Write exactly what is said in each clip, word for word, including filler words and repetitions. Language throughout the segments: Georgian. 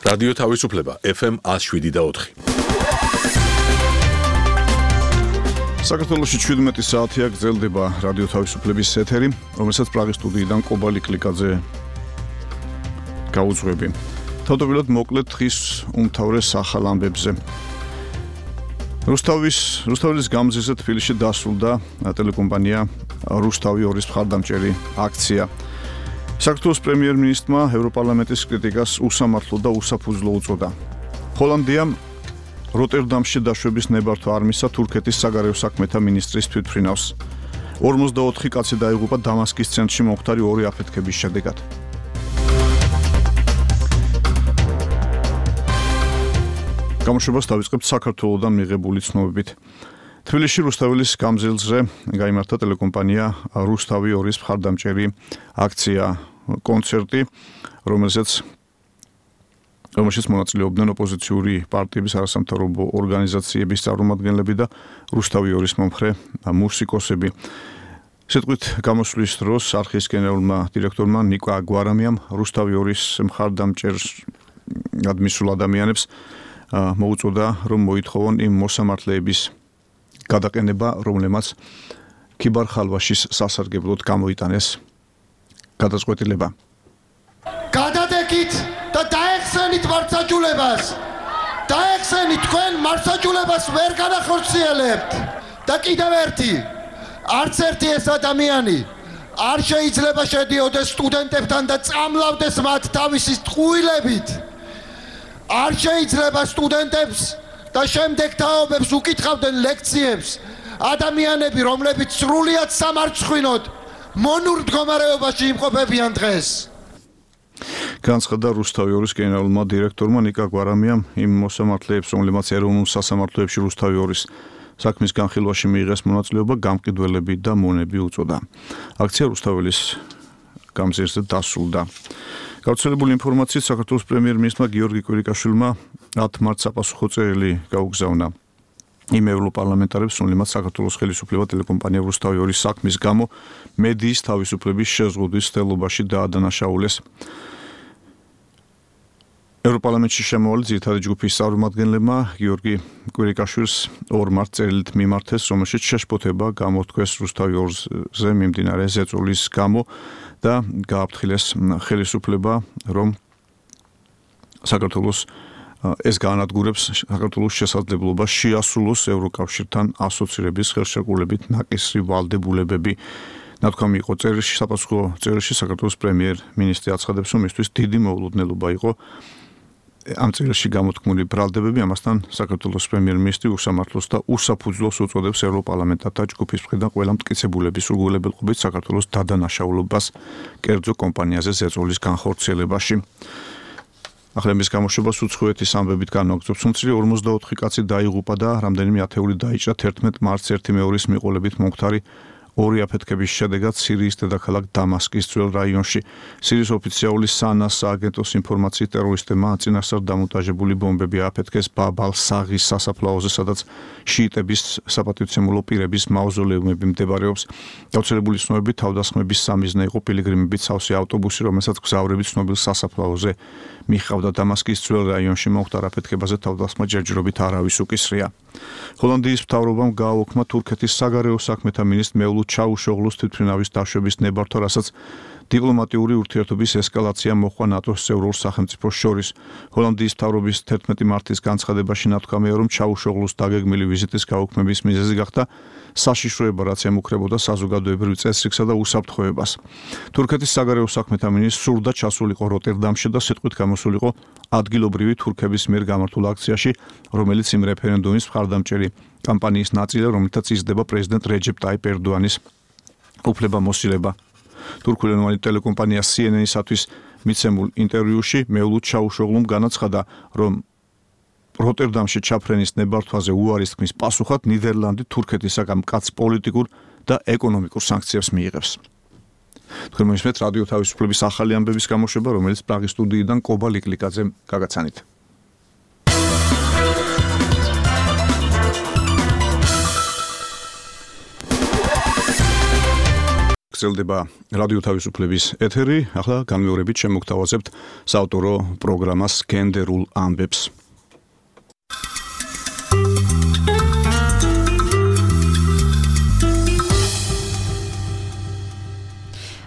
რადიო თავისუფლება ეფ ემ one oh seven და four. საქართველოში შვიდმეტი საათია გრძელდება რადიო თავისუფლების ეთერი, რომელსაც პრაღის სტუდიიდან კობალი კლიკაძე გაუძღვები. თავდაპირველად მოკლედ დღის უმთავრეს ახალ ამბებზე. რუსთავის რუსთავის გამზირზე თბილისში დასრულდა ტელეკომპანია რუსთავი ორის მხარდამჭერი აქცია. საქართველოს პრემიერ-მინისტრმა ევროპარლამენტის კრიტიკას უსამართლო და უსაფუძვლო უწოდა. ჰოლანდიამ როტერდამში დაშვების ნებართვა არ მისცა თურქეთის საგარეო საქმეთა მინისტრის თვითმფრინავს. ორმოცდაოთხი კაცი დაიღუპა დამასკის ცენტრში მომხდარი ორი აფეთქების შედეგად. გამოშვებას დავიწყებთ საქართველოდან მიღებული ცნობებით. თბილისში რუსთავის გამზირზე გაიმართა ტელეკომპანია რუსთავი ორის მხარდამჭერი აქცია კონცერტი, რომელსაც რომელშიც მონაწილეობდნენ ოპოზიციური პარტიების არასამთავრობო ორგანიზაციების წარმომადგენლები და რუსთავი ორის მომხრე მუსიკოსები. სიტყვით გამოსვლის დროს არხის გენერალურმა დირექტორმა ნიკო აგვარამიამ რუსთავი ორის მხარდამჭერ ადმისულ ადამიანებს მოუწოდა, რომ მოითხოვონ იმ მოსამართლეების გადაყენება, რომლებმაც ქიბარ ხალვაშის სასარგებლოდ გამოიტანეს გადაწყვეტილება. გადადეკით და დაეხსენით მართლმსაჯულებას. დაეხსენით თქვენ მართლმსაჯულებას ვერ განახორციელებთ. და კიდევ ერთი, არც ერთი ეს ადამიანი არ შეიძლება შედიოდეს სტუდენტებთან და წამლავდეს მათ თავისი ტყუილებით. არ შეიძლება სტუდენტებს და შემდეგ თაობებს უკითხავდნენ ლექციებს ადამიანები, რომლებიც სრულიად სამარცხვინოდ მონურ მდგომარეობაში იმყოფებიან დღეს. განცხადა რუსთავი ორის გენერალურმა დირექტორმა ნიკო აგვარამიამ იმ მოსამართლეებს, რომლებმაც ეროვნულ სასამართლოებში რუსთავი ორის საქმის განხილვაში მიიღეს მონაწილეობა, გამყიდველები და მონები უწოდა. აქცია რუსთაველის გამზირზე დასრულდა. გავრცელებული ინფორმაციით საქართველოს პრემიერ-მინისტრმა გიორგი კვირიკაშვილმა ათ მარტს საპასუხო წერილი გაუგზავნა იმ ევროპარლამენტარებს, რომლებმაც საქართველოს ხელისუფლება ტელეკომპანია რუსთავი ორის საქმის გამო მედიის თავისუფლების შეზღუდვის ცდელობაში დაადანაშაულეს. ევროპარლამენტში შემოვალი ძირითადი ჯგუფის წარმომადგენლებმა გიორგი კვირიკაშვილს ორ მარტს წერილით მიმართეს, რომელშიც შეშფოთება გამოთქვეს რუსთავი ორზე მიმდინარე ზეწოლის გამო და გააფრთხილეს ხელისუფლება, რომ საქართველოს ეს განადგურებს საქართველოს შესაძლებლობას შეასრულოს ევროკავშირთან ასოცირების ხელშეკრულებით ნაკისრი ვალდებულებები. ნათქვამი იყო წერილში, საპასუხო წერილში საქართველოს პრემიერ-მინისტრი აცხადებს, რომ მისთვის დიდი მოულოდნელობა იყო ამ წერილში გამოთქმული ბრალდებები, ამასთან საქართველოს პრემიერ-მინისტრი უსამართლოს და უსაფუძვლოს უწოდებს ევროპარლამენტად და ჯგუფის მხრიდან ყველა მტკიცებულების სრულგულებელობით საქართველოს დადანაშაულობას კერძო კომპანიაზე ზეწოლის განხორციელებაში. ახლა მის გამოშვებას უცხოეთის ამბებით განვაგრძობთ. უმცირე ორმოცდაოთხი კაცი დაიღუპა და რამდენიმე ათეული დაიჭრა თერთმეტ მარტს ერთი მეორის მიყოლებით მომხდარი ორი აფეთქების შედეგად სირიის დედაქალაქ დამასკის ძველ რაიონში. სირიის ოფიციალური სანას სააგენტოს ინფორმაციით ტერორისტებმა წინასწარ დამონტაჟებული ბომბები ააფეთქეს ბაბ-ალ-საღის სასაფლაოზე, სადაც შიიტების საპატივცემულო პირების მაუზოლეუმები მდებარეობს. გავრცელებული ცნობებით თავდასხმების სამიზნე იყო პილიგრიმებით სავსე ავტობუსი, რომელსაც გზავრები ცნობილ სასაფლაოზე მიხავდა. დამასკის ძველ რაიონში მომხდარ აფეთქებაზე თავდასხმა ჯერჯერობით არავის უკისრია. ჰოლანდიის მთავრობამ გააუქმა თურქეთის საგარეო საქმეთა მინისტრ მევლუდ ჩაუშოღლუს თვითმფრინავის დაშვების ნებართვა, რასაც დიპლომატიური ურთიერთობის ესკალაცია მოჰყვა ნატოს წევრ სახელმწიფოს შორის. ჰოლანდიის მთავრობის თერთმეტი მარტის განცხადებაში ნათქვამია, რომ ჩაუშოღლუს დაგეგმილი ვიზიტის გაუქმების მიზეზი გახდა საშიშროება, რაც ემუქრებოდა საზოგადოებრივ წესრიგსა და უსაფრთხოებას. თურქეთის საგარეო საქმეთა მინისტრს სურდა ჩასულიყო როტერდამში და სიტყვით გამოსულიყო ადგილობრივი თურქების მიერ გამართულ აქციაში, რომელიც იმ რეფერენდუმის მხარდამჭერი კამპანიის ნაწილია, რომელთაც იზრდება პრეზიდენტ რეჯეპ ტაიპ ერდოანის უფლებამოსილება. თურქულენოვანი ტელეკომპანია სი ენ ენ-ისათვის მიცემულ ინტერვიუში მევლუდ ჩაუშოღლუმ განაცხადა, რომ როტერდამში ჩაფრენის ნებართვაზე უარის თქმის პასუხად ნიდერლანდი თურქეთისაგან მკაცრ პოლიტიკურ და ეკონომიკურ სანქციებს მიიღებს. თქვენ მოისმენთ რადიო თავისუფლების ახალი ამბების გამოშვება, რომელიც პრაღის სტუდიიდან კობალი კლიკაძემ გაგაცანით. გრძელდება რადიო თავისუფლების ეთერი. ახლა განმეორებით შემოგთავაზებთ საავტორო პროგრამას გენდერულ ამბებს.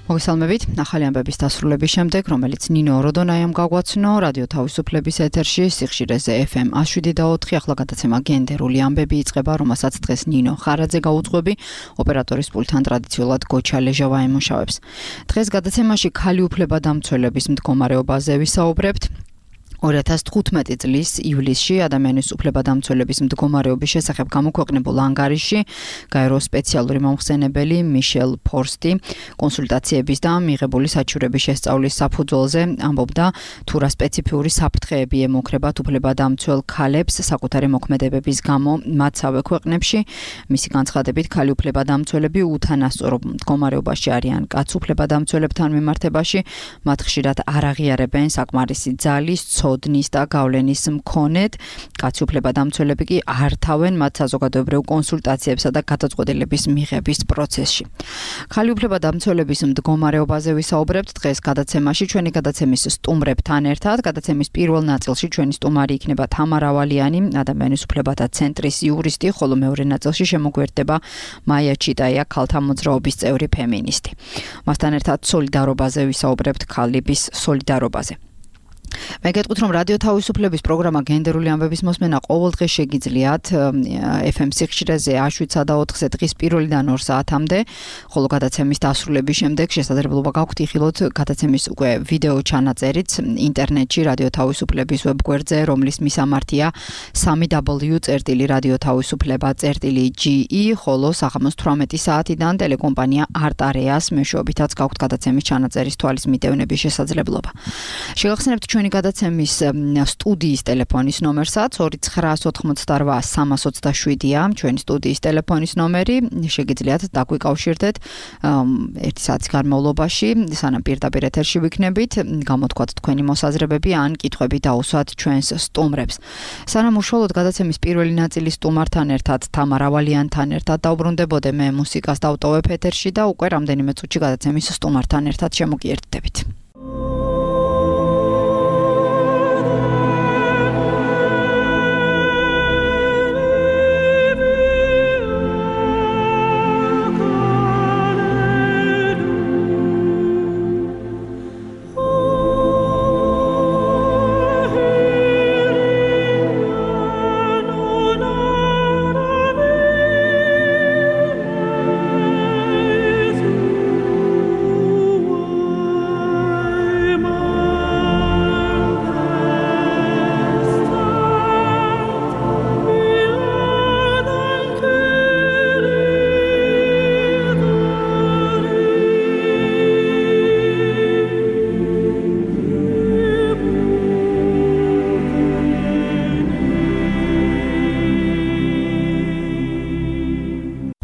მოგესალმებით, ახალი ამბების დასრულების შემდეგ, რომელიც ნინო ოროდონაიამ გაგვაცნო რადიო თავისუფლების ეთერში სიხშირეზე ეფ ემ ას შვიდი და ოთხი, ახლა გადაცემა გენდერული ამბები იწყება, რომელსაც დღეს ნინო ხარაძე გაუძღვები, ოპერატორის პულტთან ტრადიციულად გოჩა ლეჟავა ემუშავებს. დღეს გადაცემაში ქალი უფლებადამცველების მდგომარეობაზე ვისაუბრებთ. ორი ათას თხუთმეტი წლის ივლისში ადამიანის უფლებადამცველების მდგომარეობის შესახებ გამოქვეყნებულ ანგარიშში გაეროს სპეციალური მომხსენებელი მიშელ ფორსტი კონსულტაციების და მიღებული საჩივრების შესწავლის საფუძველზე ამბობდა თუ რა სპეციფიური საფრთხეები ემუქრებათ უფლებადამცველ ქალებს საკუთარი მოქმედებების გამო მათსავე ქვეყნებში. მისი განცხადებით, ქალი უფლებადამცველები უთანასწორო მდგომარეობაში არიან კაც უფლებადამცველებთან მიმართებაში, მათ ხშირად არ აღიარებენ საკმარისი ძალის ოდნის და გავლენის მქონედ, კაცი უფლებადამცველები კი არ თავენ მათ საზოგადოებრივ კონსულტაციებსა და გადაწყვეტილების მიღების პროცესში. ქალი უფლებადამცველების მდგომარეობაზე ვისაუბრებთ დღეს გადაცემაში ჩვენი გადაცემის სტუმრებთან ერთად. გადაცემის პირველ ნაწილში ჩვენი სტუმარი იქნება თამარა ვალიანი, ადამიანის უფლებათა ცენტრის იურისტი, ხოლო მეორე ნაწილში შემოგვერდება მაია ჩიტაია, ქალთა მოძრაობის წევრი ფემინისტი. მასთან ერთად სოლიდარობაზე ვისაუბრებთ, ქალების სოლიდარობაზე. მე გეტყვით, რომ რადიო თავისუფლების პროგრამა გენდერული ამბების მოსმენა ყოველდღე შეგიძლიათ ეფ ემ სიხშირეზე შვიდსა და ოთხზე დღის პირველიდან ორ საათამდე, ხოლო გადაცემის დასრულების შემდეგ შესაძლებლობა გაქვთ იხილოთ გადაცემის უკვე ვიდეო ჩანაწერიც ინტერნეტში რადიო თავისუფლების ვებგვერდზე, რომლის მისამართია სამი დაბლიუ წერტილი რადიო თავისუფლება წერტილი ჯი ი, ხოლო საღამოს თვრამეტი საათიდან ტელეკომპანია არტარეას მეშვეობითაც გაქვთ გადაცემის ჩანაწერის თვალის მიტევნების შესაძლებლობა. შეგახსენებთ ჩვენი გადაცემის სტუდიის ტელეფონის ნომერსაც ორი ცხრაას ოთხმოცდარვა სამას ოცდაშვიდია ჩვენი სტუდიის ტელეფონის ნომერი. შეგიძლიათ დაგვიკავშირდეთ ერთი საათის განმავლობაში, სანამ პირდაპირ ეთერში ვიქნებით, გამოთქვათ თქვენი მოსაზრებები ან კითხვები დაუსვათ ჩვენს სტუმრებს. სანამ უშუალოდ გადაცემის პირველი ნაწილის სტუმართან ერთად თამარა ვალიანთან ერთად დავბრუნდებოდე, მე მუსიკას დავტოვებ ეთერში და უკვე რამდენიმე წუთში გადაცემის სტუმართან ერთად შემოგიერთდებით.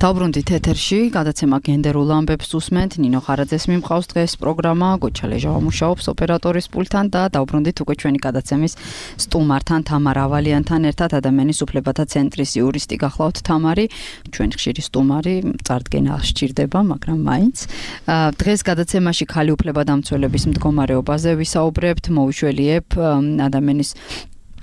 დავბრუნდით ეთერში, გადაცემა გენდერულ ამბებს უსმენთ, ნინო ხარაძეს მიმყავს დღეს პროგრამა, გოჩა ლეჟავა მუშაობს ოპერატორის პულტთან და დავბრუნდით უკვე ჩვენი გადაცემის სტუმართან თამარა ვალიანთან ერთად, ადამიანის უფლებათა ცენტრის იურისტი გახლავთ თამარი, ჩვენ ხშირი სტუმარი, წარდგენა სჭირდება, მაგრამ მაინც. დღეს გადაცემაში ქალი უფლებადამცველების მდგომარეობაზე ვისაუბრებთ, მოვიშველიებ ადამიანის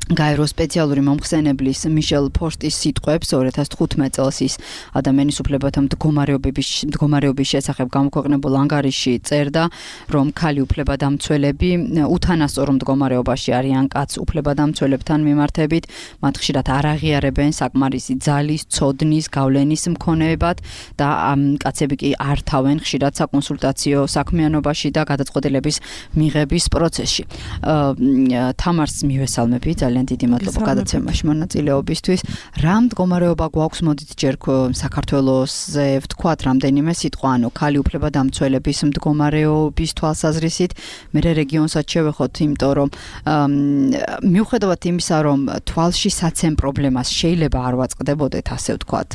გაეროს სპეციალური მომხსენებლის მიშელ ფორსტის სიტყვებს ორი ათას თხუთმეტ წელს ის ადამიანის უფლებათა მდგომარეობის მდგომარეობის შესახებ გამოქვეყნებულ ანგარიშში წერდა, რომ ქალი უფლებადამცველები უთანასწორო მდგომარეობაში არიან კაც უფლებადამცველებთან მიმართებით, მათ ხშირად არ აღიარებენ საკმარისი ძალის, ცოდნის, გავლენის მქონეებად და კაცები კი არ თავენ ხშირად საკონსულტაციო საქმიანობაში და გადაწყვეტილების მიღების პროცესში. თამარს მივესალმებით, ძალიან დიდი მადლობა გადაცემაში მონაწილეობისთვის. რა მდგომარეობა გვაქვს, მოდით ჯერ საქართველოსზე ვთქვათ რამდენიმე სიტყვა, ანუ ქალი უფლებადამცველების მდგომარეობის თვალსაზრისით, მე რეგიონსაც შევეხოთ, იმიტომ რომ მიუხედავად იმისა, რომ თვალში საცემ პრობლემას შეიძლება არ ვაწყდებოდეთ, ასე ვთქვათ,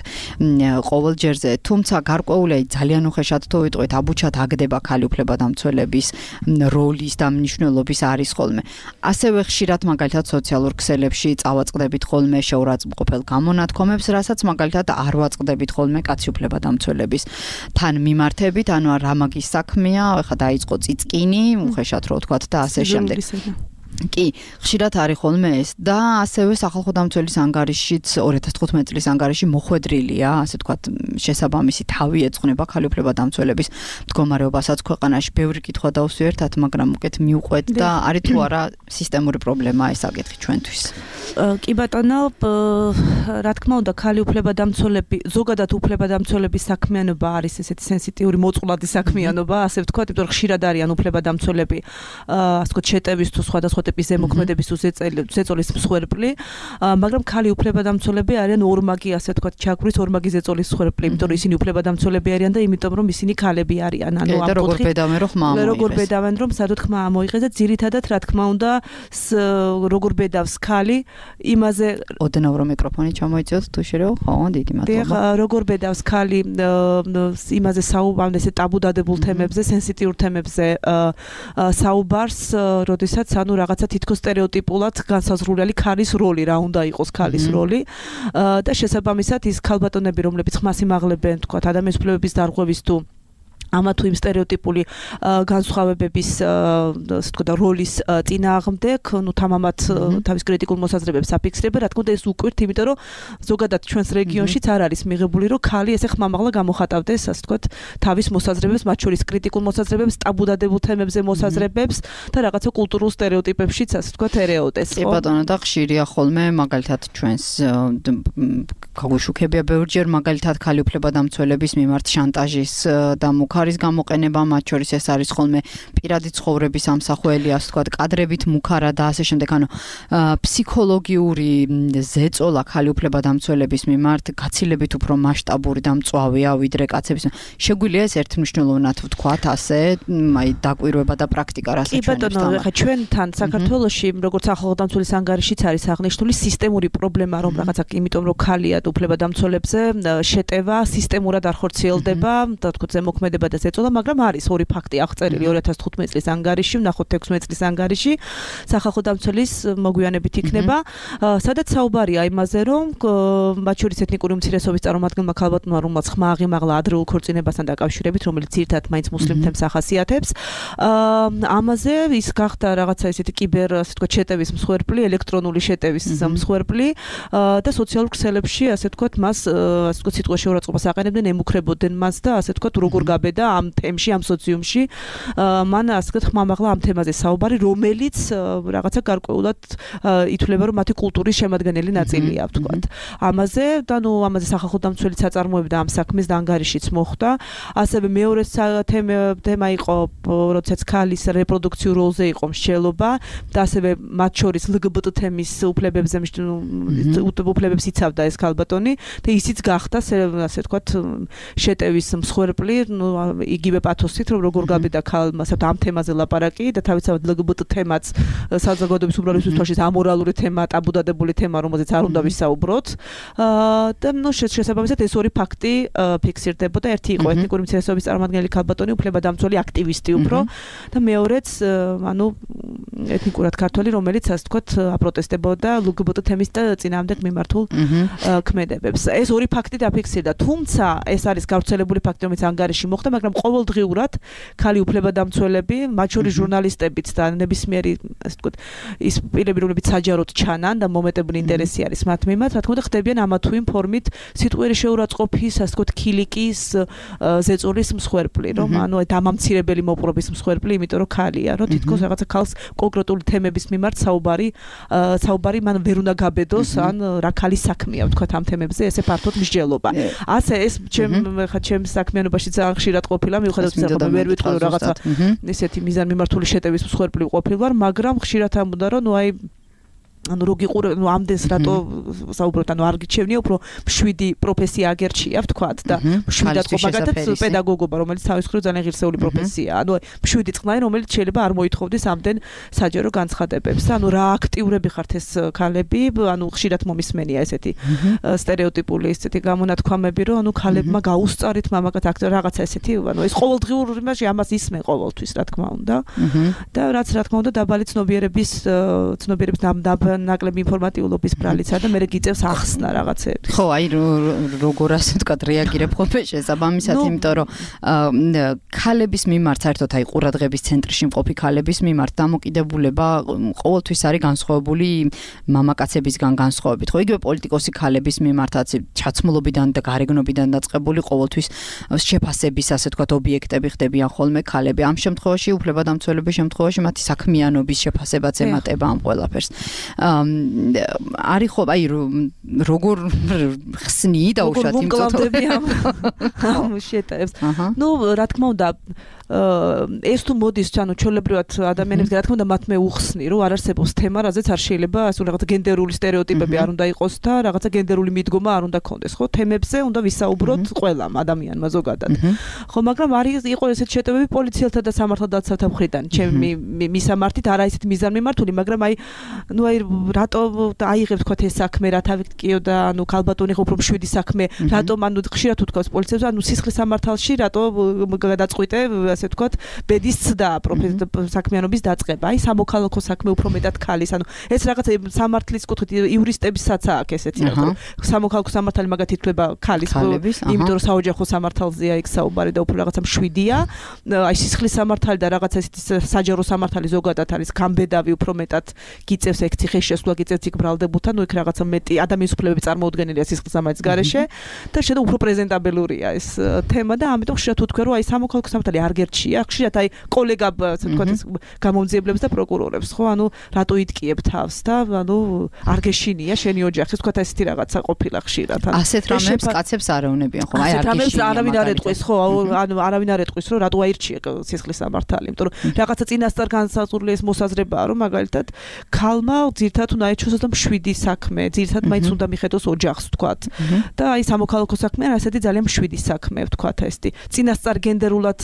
ყოველ ჯერზე, თუმცა გარკვეულია ძალიან უხეშად თუ ვიტყვით, აბუჩად აგდება ქალი უფლებადამცველების როლის და მნიშვნელობის არის ხოლმე. ასევე ხშირად მაგალითად სოციალურ სოციალურ ქსელებში წავაწყდებით ხოლმე შეურაცხმყოფელ გამონათქვამებს, რასაც მაგალითად არ ვაწყდებით ხოლმე კაცი უფლებადამცველების თან მიმართებით, ანუ რა მაგის საქმეა, ეხლა დაიწყო წიწკინი, უხეშად რო ვთქვათ და ასე შემდეგ. კი, ხშირად არის ხოლმე ეს და ასევე სახალხო დამცველის ანგარიშიც ორი ათას თხუთმეტი წლის ანგარიში მოხვედრილია, ასე ვთქვათ, შესაბამისი თავი ეძღვნება ქალი უფლებადამცველების მდგომარეობასაც ქვეყანაში. ბევრი კითხვა დავსვიერთად, მაგრამ უკეთ მიუყვეთ და არის თუ არა სისტემური პრობლემა ეს საკითხი ჩვენთვის. კი ბატონო, რა თქმა უნდა, ქალი უფლებადამცველები, ზოგადად უფლებადამცველების საქმიანობა არის ესეთი სენსიტიური მოწყვლადი საქმიანობა, ასე ვთქვათ, იმიტომ რომ ხშირად არიან უფლებადამცველები, ასე ვთქვათ, შეტევის თუ სხვადასხვა ტიპის ზემოქმედების ზეწოლის მსხვერპლი, მაგრამ ქალი უფლებადამცველები არიან ორმაგი, ასე ვთქვათ, ჩაგვრის ორმაგი ზეწოლის მსხვერპლი, იმიტომ რომ ისინი უფლებადამცველები არიან და იმიტომ რომ ისინი ქალები არიან. ანუ ამ როგორ ბედავენ რომ ხმა ამოიღეს. როგორ ბედავენ რომ სადოთ ხმა ამოიღეს და ძირითადად რა თქმა უნდა როგორ ბედავს ქალი იმაზე ოდნავ რომ მიკროფონი ჩამოიწიოთ თუ შეიძლება, ხო, დიდი მადლობა. როგორ ბედავს ქალი იმაზე საუბარ, ესე ტაბუ დადებულ თემებზე, სენსიტიურ თემებზე საუბარს, როდესაც ანუ რაღაცა თითქოს სტერეოტიპულად განსაზღვრული ქალის როლი, რა უნდა იყოს ქალის როლი და შესაბამისად ის ქალბატონები, რომლებიც ხმას იმაღლებენ, თქვათ, ადამიანის უფლებების დარღვევის თუ ამა თუ იმ სტერეოტიპული განსხვავებების ასე ვთქვათ როლის წინააღმდეგ, ну თამამად თავის კრიტიკულ მოსაზრებებს აფიქსირება, რა თქმა უნდა ეს უკვირთ, იმიტომ რომ ზოგადად ჩვენს რეგიონშიც არ არის მიღებული, რომ ქალი ესე ხმამაღლა გამოხატავდეს, ასე ვთქვათ, თავის მოსაზრებებს, მათ შორის კრიტიკულ მოსაზრებებს, ტაბუდადებულ თემებზე მოსაზრებებს და რაღაცა კულტურულ სტერეოტიპებშიც, ასე ვთქვათ, ერეოდეს. კი ბატონო, და ხშირია ხოლმე, მაგალითად ჩვენს გაგვიშუქებია ბევრჯერ, მაგალითად ქალი უფლებადამცველების მიმართ შანტაჟის და მუქარის გამოყენება, მათ შორის ეს არის ხოლმე პირადი ცხოვრების ამსახველი, ასე ვთქვათ, კადრებით მუქარა და ასე შემდეგ, ანუ ფსიქოლოგიური ზეწოლა ქალი უფლებადამცველების მიმართ გაცილებით უფრო მასშტაბური და მწვავეა ვიდრე კაცების. შეგვიძლია ეს ერთმნიშვნელოვნად ვთქვათ, ასე, აი დაკვირვება და პრაქტიკა რასაც ჩვენ. კი ბატონო, ხა ჩვენთან საქართველოში, როგორც სახალხო დამცველის ანგარიშიც არის აღნიშნული სისტემური პრობლემა, რომ რაღაცა იმიტომ რომ ქალია უფლებადამცველებზე შეტევა სისტემურად არ ხორციელდება, და თქო ზემოქმედება და ზეწოლა, მაგრამ არის ორი ფაქტი აღწერილი ორი ათას თხუთმეტი წლის ანგარიში, ვნახოთ ექვსმეტი წლის ანგარიში, სახალხო დამცველის მოგვიანებით იქნება, სადაც საუბარია იმაზე, რომ მათ შორის ეთნიკური უმცირესობის წარმომადგენელმა ქალბატონმა, რომელსაც ხმა აღიმაღლა ადრეულ ქორწინებასთან დაკავშირებით, რომელიც ძირითადად მაინც მუსლიმ თემს ახასიათებს, ამაზე ის გახდა რაღაცა ესეთი კიბერ, ასე ვთქვათ, შეტევის მსხვერპლი, ელექტრონული შეტევის მსხვერპლი და სოციალურ ქსელებში, ასე ვთქვათ, მას, ასე ვთქვათ, სიტყვა შეურაცხყოფას აყენებდნენ, ემუქრებოდნენ მას და ასე ვთქვათ, როგორ გაბედა ამ თემში, ამ სოციუმში, მან ასე ვთქვათ, ხმამაღლა ამ თემაზე საუბარი, რომელიც რაღაცა გარკვეულად ითვლება, რომ მათი კულტურის შემადგენელი ნაწილია, ვთქვათ. ამაზე და ნუ ამაზე სახალხო დამცველი საწარმოები და ამ საქმის და ანგარიშიც მოხდა. ასევე მეორე თემა იყო, როდესაც ქალის რეპროდუქციურ როლზე იყო მსჯელობა და ასევე მათ შორის ლგბტ თემის უფლებებზე უფლებებს იცავდა ეს ქალბატონი და ისიც გახდა, ასე ვთქვათ, შეტევის მსხვერპლი, ნუ იგივე პათოსით, რომ როგორ გაბედა ქალმა ამ თემაზე ლაპარაკი და თავისთავად ლგბტ თემაც საზოგადოების უმრავლესობის თვალშიც ამორალური თემა, ტაბუდადებული თემა, რომელზეც არ უნდა ვისაუბროთ. და ნუ შესაბამისად ეს ორი ფაქტი ფიქსირდებოდა. ერთი იყო ეთნიკური უმცირესობის წარმომადგენელი ქალბატონი, უფლებადამცველი აქტივისტი უფრო და მეორეც, ანუ ეთნიკურად ქართველი, რომელიც ასე ვთქვათ, აპროტესტებოდა ლგბტ თემის და წინააღმდეგ მიმართულ ქმედებებს. ეს ორი ფაქტი დაფიქსირდა, თუმცა ეს არის გავრცელებული ფაქტი, რომელიც ანგარიში მოხდა, მაგრამ ყოველდღიურად ქალი უფლებადამცველები, მათ შორის ჟურნალისტებიც და ნებისმიერი, ასე ვთქვათ, ის პირები, რომლებიც საჯაროდ ჩანან და მომეტებული ინტერესი არის მათ მიმართ, რა თქმა უნდა, ხდებიან ამა თუ იმ ფორმით სიტყვიერი შეურაცხყოფის, ასე ვთქვათ, ქილიკის, ზეწოლის მსხვერპლი, რომ ანუ დამამცირებელი მოპყრობის მსხვერპლი, იმიტომ რომ ქალია, რომ თითქოს რაღაცა ქალს კონკრეტული თემების მიმართ საუბარი, საუბარი მან ვერ უნდა გაბედოს, ან რა ქალის საქმეა, ვთქვათ, ამ თემებზე ესე ფართოდ მსჯელობა. ასე ეს ჩემ ხა ჩემს საქმიანობაში ძალიან ხშირად ყოფილა, მიუხედავად იმისა, რომ ვერ ვიტყვი რომ რაღაცა ისეთი მიზანმიმართული შეტევის მსხვერპლი ყოფილვარ, მაგრამ ხშირად ამბობდა, რომ ნუ აი ანუ რო გიყურე, ნუ ამდენს რატო საუბრობთ, ანუ არ გიჩვენია, უფრო მშვიდი პროფესია აგერჩია, ვთქვათ და მშვიდად ყო მაგათაც პედაგოგობა, რომელიც თავის მხრივ ძალიან ღირსეული პროფესიაა. ანუ მშვიდი წყნარი, რომელიც შეიძლება არ მოითხოვდეს ამდენ საჯარო განცხადებებს. ანუ რა აქტიურები ხართ ეს ქალები, ანუ ხშირად მომისმენია ესეთი სტერეოტიპული ესეთი გამონათქვამები, რომ ანუ ქალებმა გაუსწარით მამაკაც რაღაცა ესეთი, ანუ ეს ყოველდღიურ იმაში ამას ისმენ ყოველთვის, რა თქმა უნდა. და რაც რა თქმა უნდა დაბალი ცნობიერების ცნობიერების ნაკლები ინფორმატიულობის ბრალიცა და მე გიწევს ახსნა რაღაცები. ხო, აი როგორ ასე ვთქვათ, რეაგირებ ხოლმე შესაბამისად, იმიტომ რომ ქალების მიმართ საერთოდ აი ყურადღების ცენტრში მყოფი ქალების მიმართ დამოკიდებულება ყოველთვის არის განსხვავებული მამაკაცებისგან განსხვავებით. ხო, იგივე პოლიტიკოსი ქალების მიმართაც ჩაცმულობიდან და გარეგნობიდან დაწყებული ყოველთვის შეფასების ასე ვთქვათ ობიექტები ხდებიან ხოლმე ქალები. ამ შემთხვევაში უფლებადამცველების შემთხვევაში მათი საქმიანობის შეფასებაც ემატება ამ ყველაფერს. არის ხო, აი როგორ ხსნი დაუშვათ იმ წოთები ამ შეტევს. ნუ რა თქმა უნდა ეს თუ მოდის, ანუ ჩვეულებრივად ადამიანებს რა თქმა უნდა მათ მე უხსნი, რომ არ არსებობს თემა, რაზეც არ შეიძლება ასე რაღაცა გენდერული სტერეოტიპები არ უნდა იყოს და რაღაცა გენდერული მიდგომა არ უნდა ქონდეს, ხო? თემებზე უნდა ვისაუბროთ ყველამ ადამიანმა ზოგადად. ხო, მაგრამ არის იყო ესეთ შეტევები პოლიციელთა და სამართალდაცავთა მხრიდან, ჩემი მისამართით, არა ისეთ მიზანმიმართული, მაგრამ აი ნუ აი რატო აიღებს თქვა ეს საქმე, რა თავით კიო და ანუ ქალბატონი ხო უფრო მშვიდი საქმე, რატომ ანუ ხშირად უთქვას პოლიციელს, ანუ სისხლის სამართალში რატო გადაწყვიტე ასე ვთქვათ, ბედის ცდა საქმიანობის დაწყება. აი სამოქალაქო საქმე უფრო მეტად ქალის, ანუ ეს რაღაცა სამართლის კუთხით იურისტებისაც აქვს ესეთი რაღაც. სამოქალაქო სამართალი მაგათ ითვლება ქალის, იმიტომ რომ საოჯახო სამართალზეა იქ საუბარი და უფრო რაღაცა მშვიდია. აი სისხლის სამართალი და რაღაცა ესეთი საჯარო სამართალი ზოგადად არის გამბედავი უფრო მეტად გიწევს ეგ ციხეს შესვლა გიწევს იქ ბრალდებულთან, ნუ იქ რაღაცა მეტი ადამიანის უფლებები წარმოუდგენელია სისხლის სამართლის გარეშე და შედა უფრო პრეზენტაბელურია ეს თემა და ამიტომ ხშირად უთქვი რომ აი სამოქალაქო სამართალი არ გერჩია, ხშირად აი კოლეგა ასე ვთქვათ გამომძიებლებს და პროკურორებს, ხო, ანუ რატო იტკიებ თავს და ანუ არ გეშინია შენი ოჯახი, ვთქვათ ესეთი რაღაცა ყოფილა ხშირად. ასეთ რამებს კაცებს არ ეუნებიან, ხო, აი არ გეშინია. არავინ არ ეტყვის, ხო, ანუ არავინ არ ეტყვის რომ რატო აირჩია სისხლის სამართალი, იმიტომ რომ რაღაცა წინასწარ განსაზღვრული ეს მოსაზრებაა, რომ მაგალითად ქალმა ძირთად უნდა ეჩვენოს და მშვიდი საქმე, ძირთად მაინც უნდა მიხედოს ოჯახს, ვთქვათ. და აი სამოქალაქო საქმე არის ასეთი ძალიან მშვიდი საქმე, ვთქვათ, ესეთი. წინასწარ გენდერულად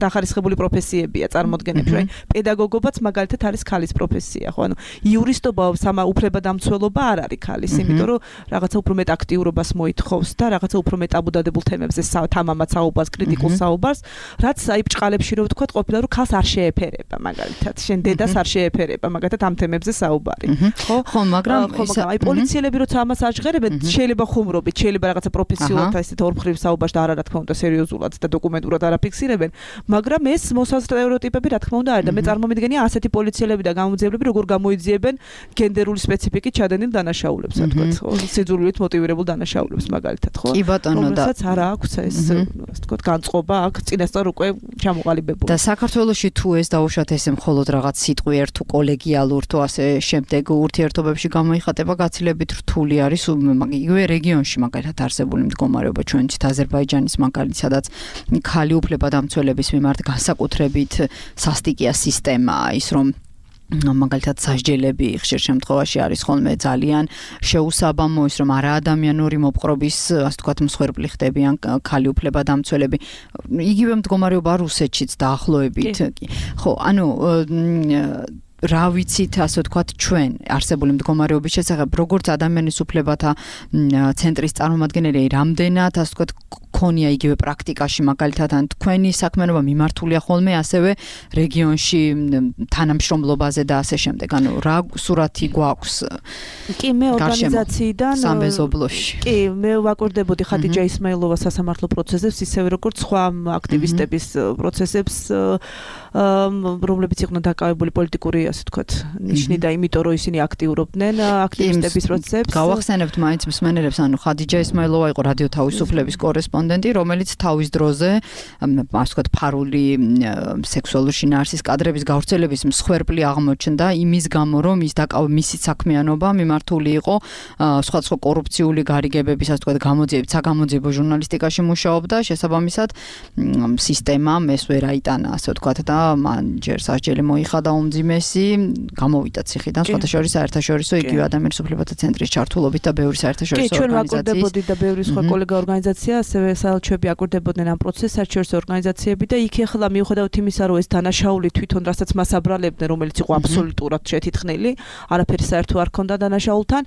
დახარისხებული პროფესიებია წარმოდგენებში, აი პედაგოგობაც მაგალითად არის ქალის პროფესია, ხო, ანუ იურისტობა, სამა უფლებადამცველობა არ არის ქალის, იმიტომ რომ რაღაცა უფრო მეტ აქტიურობას მოითხოვს და რაღაცა უფრო მეტ აბუდადებულ თემებზე თამამად საუბარს, კრიტიკულ საუბარს, რაც აი ბჭყალებში რო ვთქვათ, ყოფილა რომ ქალს არ შეეფერება მაგალითად, შენ დედას არ შეეფერება მაგალითად ამ თემებზე საუბარი, ხო? ხო, მაგრამ აი პოლიციელები როცა ამას აჟღერებენ, შეიძლება ხუმრობით, შეიძლება რაღაცა პროფესიულად ესეთ ორმხრივ საუბარს და არა რა თქმა უნდა სერიოზულად და დოკუმენტურად არ აფიქსირებენ, მაგრამ ეს მოსასტერეოტიპები რა თქმა უნდა არის და მე წარმომიდგენია ასეთი პოლიციელები და გამომძიებლები როგორ გამოიძიებენ გენდერული სპეციფიკით ჩადენილ დანაშაულებს, რა თქმა უნდა, სიძულვილით მოტივირებულ დანაშაულებს მაგალითად, ხო? კი ბატონო და რომელსაც არ აქვს ეს ასე ვთქვათ განწყობა აქ წინასწარ უკვე ჩამოყალიბებული. და საქართველოში თუ ეს დაუშვათ ესე მხოლოდ რაღაც სიტყვიერ თუ კოლეგიალურ თუ ასე შემდეგ ურთიერთობებში გამოიხატება გაცილებით რთული არის იგივე რეგიონში მაგალითად არსებული მდგომარეობა ჩვენც აზერბაიჯანის მაგალითად სადაც ქალი უფლებადამცველების მიმართ განსაკუთრებით სასტიკია სისტემაა ის რომ მაგალითად სასჯელები ხშირ შემთხვევაში არის ხოლმე ძალიან შეუსაბამო ის რომ არაადამიანური მოპყრობის ასე ვთქვათ მსხვერპლი ხდებიან ქალი უფლებადამცველები იგივე მდგომარეობა რუსეთშიც დაახლოებით ხო ანუ რა ვიცით ასე ვთქვათ ჩვენ არსებული მდგომარეობის შესახებ როგორც ადამიანის უფლებათა ცენტრის წარმომადგენელი რამდენად ასე ვთქვათ ქონია იგივე პრაქტიკაში მაგალითად ან თქვენი საქმიანობა მიმართულია ხოლმე ასევე რეგიონში თანამშრომლობაზე და ასე შემდეგ ანუ რა სურათი გვაქვს კი მე ორგანიზაციიდან სამეზობლოში კი მე ვაკვირდებოდი ხადიჯა ისმაილოვა სასამართლო პროცესებს ისევე როგორც სხვა აქტივისტების პროცესებს რომლებიც იყვნენ დაკავებული პოლიტიკური ასე ვთქვათ ნიშნით და იმიტომ რომ ისინი აქტიურობდნენ აქტივისტების პროცესებს გავახსენებთ მაინც მსმენელებს ანუ ხადიჯა ისმაილოვა იყო რადიო თავისუფლების კორესპონდენტი რომელიც თავის დროზე ასე ვთქვათ ფარული სექსუალური შინაარსის კადრების გავრცელების მსხვერპლი აღმოჩნდა იმის გამო რომ ის დაკავ მისი საქმიანობა მიმართული იყო სხვადასხვა კორუფციული გარიგებების ასე ვთქვათ გამოძიებით საგამოძიებო ჟურნალისტიკაში მუშაობდა შესაბამისად სისტემამ ეს ვერ აიტანა ასე ვთქვათ და მან ჯერ სასჯელი მოიხადა უმძიმესი გამოვიდა ციხიდან სხვადასხვა საერთაშორისო იგივე ადამიანის უფლებათა ცენტრის ჩართულობით და ბევრი საერთაშორისო ორგანიზაციის ჩვენ ვაკვირდებოდი და ბევრი სხვა კოლეგა ორგანიზაცია ასევე საელჩოები აკვირდებოდნენ ამ პროცესს საერთაშორისო ორგანიზაციები და იქ ახლა მიუხედავად იმისა რომ ეს დანაშაული თვითონ რასაც მას აბრალებდნენ რომელიც იყო აბსოლუტურად შეთითხნილი არაფერი საერთო არ ქონდა დანაშაულთან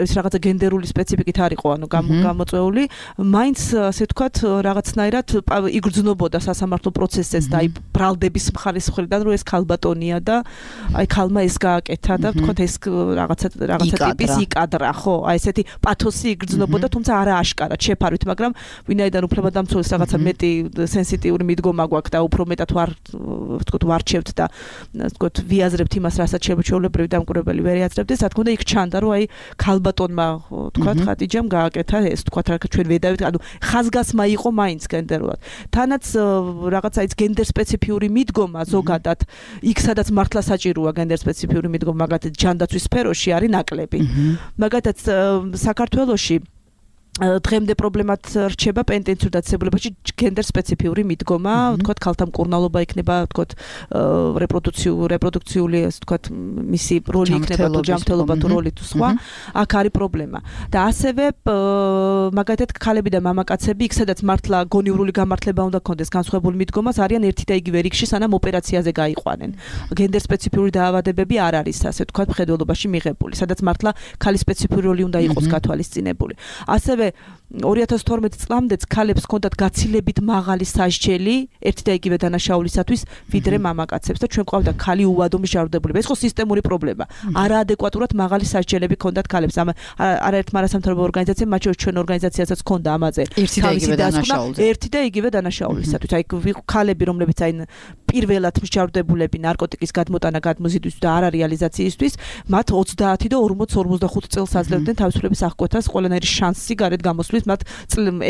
ეს რაღაცა გენდერული სპეციფიკით არ იყო ანუ გამოწვეული მაინც ასე ვთქვათ რაღაცნაირად იგრძნობოდა სასამართლო პროცესს და აი ბრალდების მხარის მხრიდან რომ ეს ქალბატონი ქალბატონია და აი ქალმა ეს გააკეთა და ვთქვათ ეს რაღაცა რაღაცა ტიპის იკადრა, ხო? აი ესეთი პათოსი იგრძნობოდა, თუმცა არა აშკარად შეფარვით, მაგრამ ვინაიდან უფლებადამცველს რაღაცა მეტი სენსიტიური მიდგომა გვაქვს და უფრო მეტად ვარ ვთქვათ ვარჩევთ და ვთქვათ ვიაზრებთ იმას, რასაც შეუჩვეულებრივი დამკვირვებელი ვერ იაზრებდეს, რა თქმა უნდა იქ ჩანდა, რომ აი ქალბატონმა ვთქვათ ხატიჯამ გააკეთა ეს ვთქვათ რა ჩვენ ვედავით, ანუ ხაზგასმა იყო მაინც გენდერულად. თანაც რაღაცა ის გენდერ სპეციფიური მიდგომა ზოგადად იქ სადაც მართლა საჭიროა გენდერ სპეციფიური მიდგომა, მაგათაც ჯანდაცვის სფეროში არის ნაკლები. მაგათაც საქართველოში დღემდე პრობლემად რჩება პენტენციურ დაწესებულებაში გენდერ სპეციფიური მიდგომა, ვთქვათ ქალთა მკურნალობა იქნება, ვთქვათ რეპროდუქციული რეპროდუქციული ეს ვთქვათ მისი როლი იქნება თუ ჯანმრთელობა თუ როლი თუ სხვა, აქ არის პრობლემა. და ასევე მაგათაც ქალები და მამაკაცები იქ სადაც მართლა გონივრული გამართლება უნდა ქონდეს განსხვავებული მიდგომას, არიან ერთი და იგივე რიგში, სანამ ოპერაციაზე გაიყვანენ. გენდერ სპეციფიური დაავადებები არ არის ასე ვთქვათ მხედველობაში მიღებული, სადაც მართლა ქალის სპეციფიური როლი უნდა იყოს გათვალისწინებული. ასევე ორი ათას თორმეტი წლამდეც ქალებს ჰქონდათ გაცილებით მაღალი სასჯელი ერთი და იგივე დანაშაულისათვის ვიდრე მამაკაცებს და ჩვენ ყავდა ქალი უვადო მსჯავრდებულება. ეს ხო სისტემური პრობლემა. არაადეკვატურად მაღალი სასჯელები ჰქონდათ ქალებს. ამ არაერთმა არასამთავრობო ორგანიზაციამ, მათ შორის ჩვენ ორგანიზაციასაც ჰქონდა ამაზე თავისი დასკვნა ერთი და იგივე დანაშაულისათვის. აი ქალები, რომლებიც აი პირველად მსჯავრდებულები ნარკოტიკის გადმოტანა გადმოზიდვის და არარეალიზაციისთვის, მათ ოცდაათი და ორმოც ორმოცდახუთ წელს აძლევდნენ თავისუფლების აღკვეთას ყველანაირი შანსი გარეთ გამოსვლის, მათ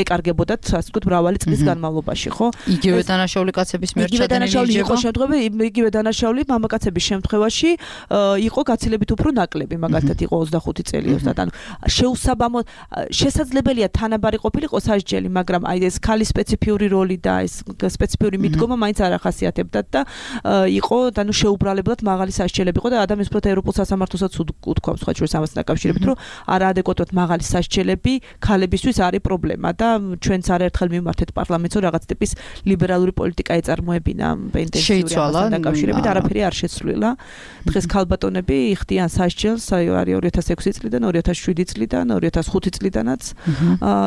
ეკარგებოდათ ასე ვთქვათ მრავალი წლის განმავლობაში, ხო? იგივე დანაშაული კაცების მიერ ჩადენილი იყო შემთხვევები, იგივე დანაშაული მამაკაცების შემთხვევაში იყო გაცილებით უფრო ნაკლები, მაგალითად იყო ოცდახუთი წელი ოცდაათ. ანუ შეუსაბამო შესაძლებელია თანაბარი ყოფილიყო სასჯელი, მაგრამ აი ეს ქალის სპეციფიური როლი და ეს სპეციფიური მიდგომა მაინც არ ახასიათებდათ და იყო ანუ შეუბრალებლად მაღალი სასჯელები იყო და ადამიანის უბრალოდ ევროპულ სასამართლოსაც უთქვამს სხვა შორის ამასთან დაკავშირებით, რომ არაადეკვატურად მაღალი სასჯელები ქალებისთვის არის პრობლემა და ჩვენც არაერთხელ მიმართეთ პარლამენტს, რომ რაღაც ტიპის ლიბერალური პოლიტიკა ეწარმოებინა პენტენციური ამასთან დაკავშირებით, არაფერი არ შეცვლილა. დღეს ქალბატონები იხდიან სასჯელს, აი არის ორი ათას ექვსი წლიდან, ორი ათას შვიდი წლიდან, ორი ათას ხუთი წლიდანაც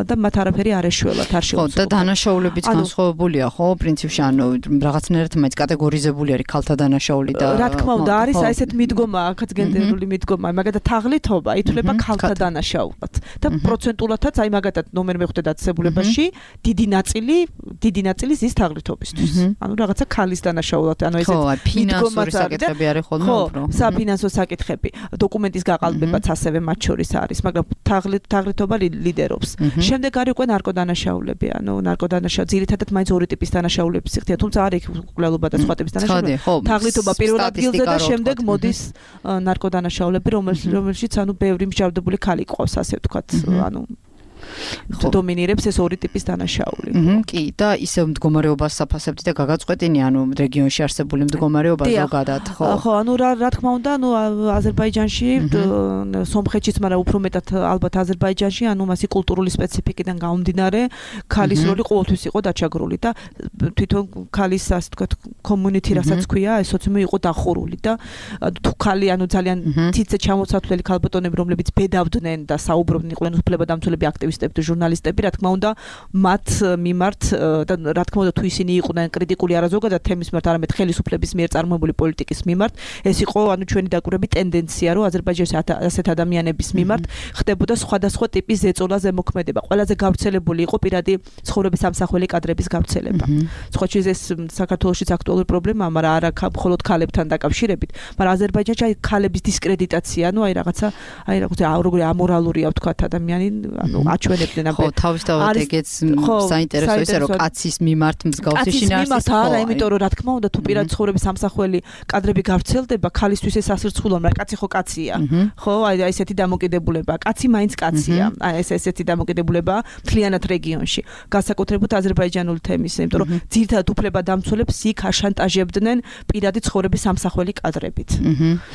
და მათ არაფერი არ ეშველათ, არ შეუძლია. ხო, და დანაშაულებიც განსხვავებულია, ხო, პრინციპში, ანუ რაღაცნაირად მაინც კატეგორიზებული არის ქალთა დანაშაული და რა თქმა უნდა, არის აი ესეთ მიდგომა, აქაც გენდერული მიდგომა, მაგათა თაღლითობა ითვლება ქალთა დანაშაულად და პროცენტულადაც აი მაგათაც ნომერ მეხვდე დაწესებულებაში დიდი ნაწილი, დიდი ნაწილი ზის თაღლითობისთვის. ანუ რაღაცა ქალის დანაშაულად, ანუ ესეთ ფინანსური საკითხები არის ხოლმე უფრო. ხო, საფინანსო საკითხები, დოკუმენტის გაყალბებაც ასევე მათ შორის არის, მაგრამ თაღლითობა ლიდერობს. შემდეგ არის უკვე ნარკოდანაშაულები, ანუ ნარკოდანაშაულები, ძირითადად მაინც ორი ტიპის დანაშაულების სიხდია, თუმცა არის მკვლელობა და სხვა ტიპის დანაშაულები. თაღლითობა პირველ ადგილზე და შემდეგ მოდის ნარკოდანაშაულები, რომელშიც ანუ ბევრი მსჯავრდებული ქალი ყავს, ასე ვთქვათ, ანუ დომინირებს ეს ორი ტიპის დანაშაული. კი, და ისევ მდგომარეობას საფასებთ და გაგაწყვეტინი, ანუ რეგიონში არსებული მდგომარეობა ზოგადად, ხო? ხო, ანუ რა რა თქმა უნდა, ანუ აზერბაიჯანში, სომხეთშიც, მაგრამ უფრო მეტად ალბათ აზერბაიჯანში, ანუ მასი კულტურული სპეციფიკიდან გამომდინარე, ქალის როლი ყოველთვის იყო დაჩაგრული და თვითონ ქალის ასე ვთქვათ community რასაც ქვია, ეს სოციუმი იყო დახურული და თუ ქალი, ანუ ძალიან თითზე ჩამოცათვლელი ქალბატონები, რომლებიც ბედავდნენ და საუბრობდნენ, იყვნენ უფლებადამცველები აქტივისტები და ჟურნალისტები, რა თქმა უნდა, მათ მიმართ და რა თქმა უნდა, თუ ისინი იყვნენ კრიტიკული არა ზოგადად თემის მიმართ, არამედ ხელისუფლების მიერ წარმოებული პოლიტიკის მიმართ, ეს იყო ანუ ჩვენი დაკვირვების ტენდენცია, რომ აზერბაიჯანის ასეთ ადამიანების მიმართ ხდებოდა სხვადასხვა ტიპის ზეწოლა, ზემოქმედება. ყველაზე გავრცელებული იყო პირადი ცხოვრების სამსახველი კადრების გავრცელება. სხვა შეიძლება ეს საქართველოშიც აქტუალური პრობლემაა, მაგრამ არა მხოლოდ ქალებთან დაკავშირებით, მაგრამ აზერბაიჯანში აი ქალების დისკრედიტაცია, ანუ აი რაღაცა, აი რაღაცა როგორი ამორალურია ვთქვათ ადამიანი, ანუ აჩვენებდნენ ხო, თავისთავად ეგეც საინტერესო ისე რომ კაცის მიმართ მსგავსი შინაარსის ხო, არა, იმიტომ რომ რა თქმა უნდა, თუ პირადი ცხოვრების სამსახველი კადრები გავრცელდება, ქალისთვის ეს ასრცხულო, მაგრამ კაცი ხო კაცია. ხო, აი ესეთი დამოკიდებულება, კაცი მაინც კაცია. აი ეს ესეთი დამოკიდებულება მთლიანად რეგიონში. განსაკუთრებულად აზერბაიჯანული თემის, იმიტომ რომ ძირითადად უფლებადამცველებს იქ აშანტაჟებდნენ პირადი ცხოვრების სამსახველი კადრებით.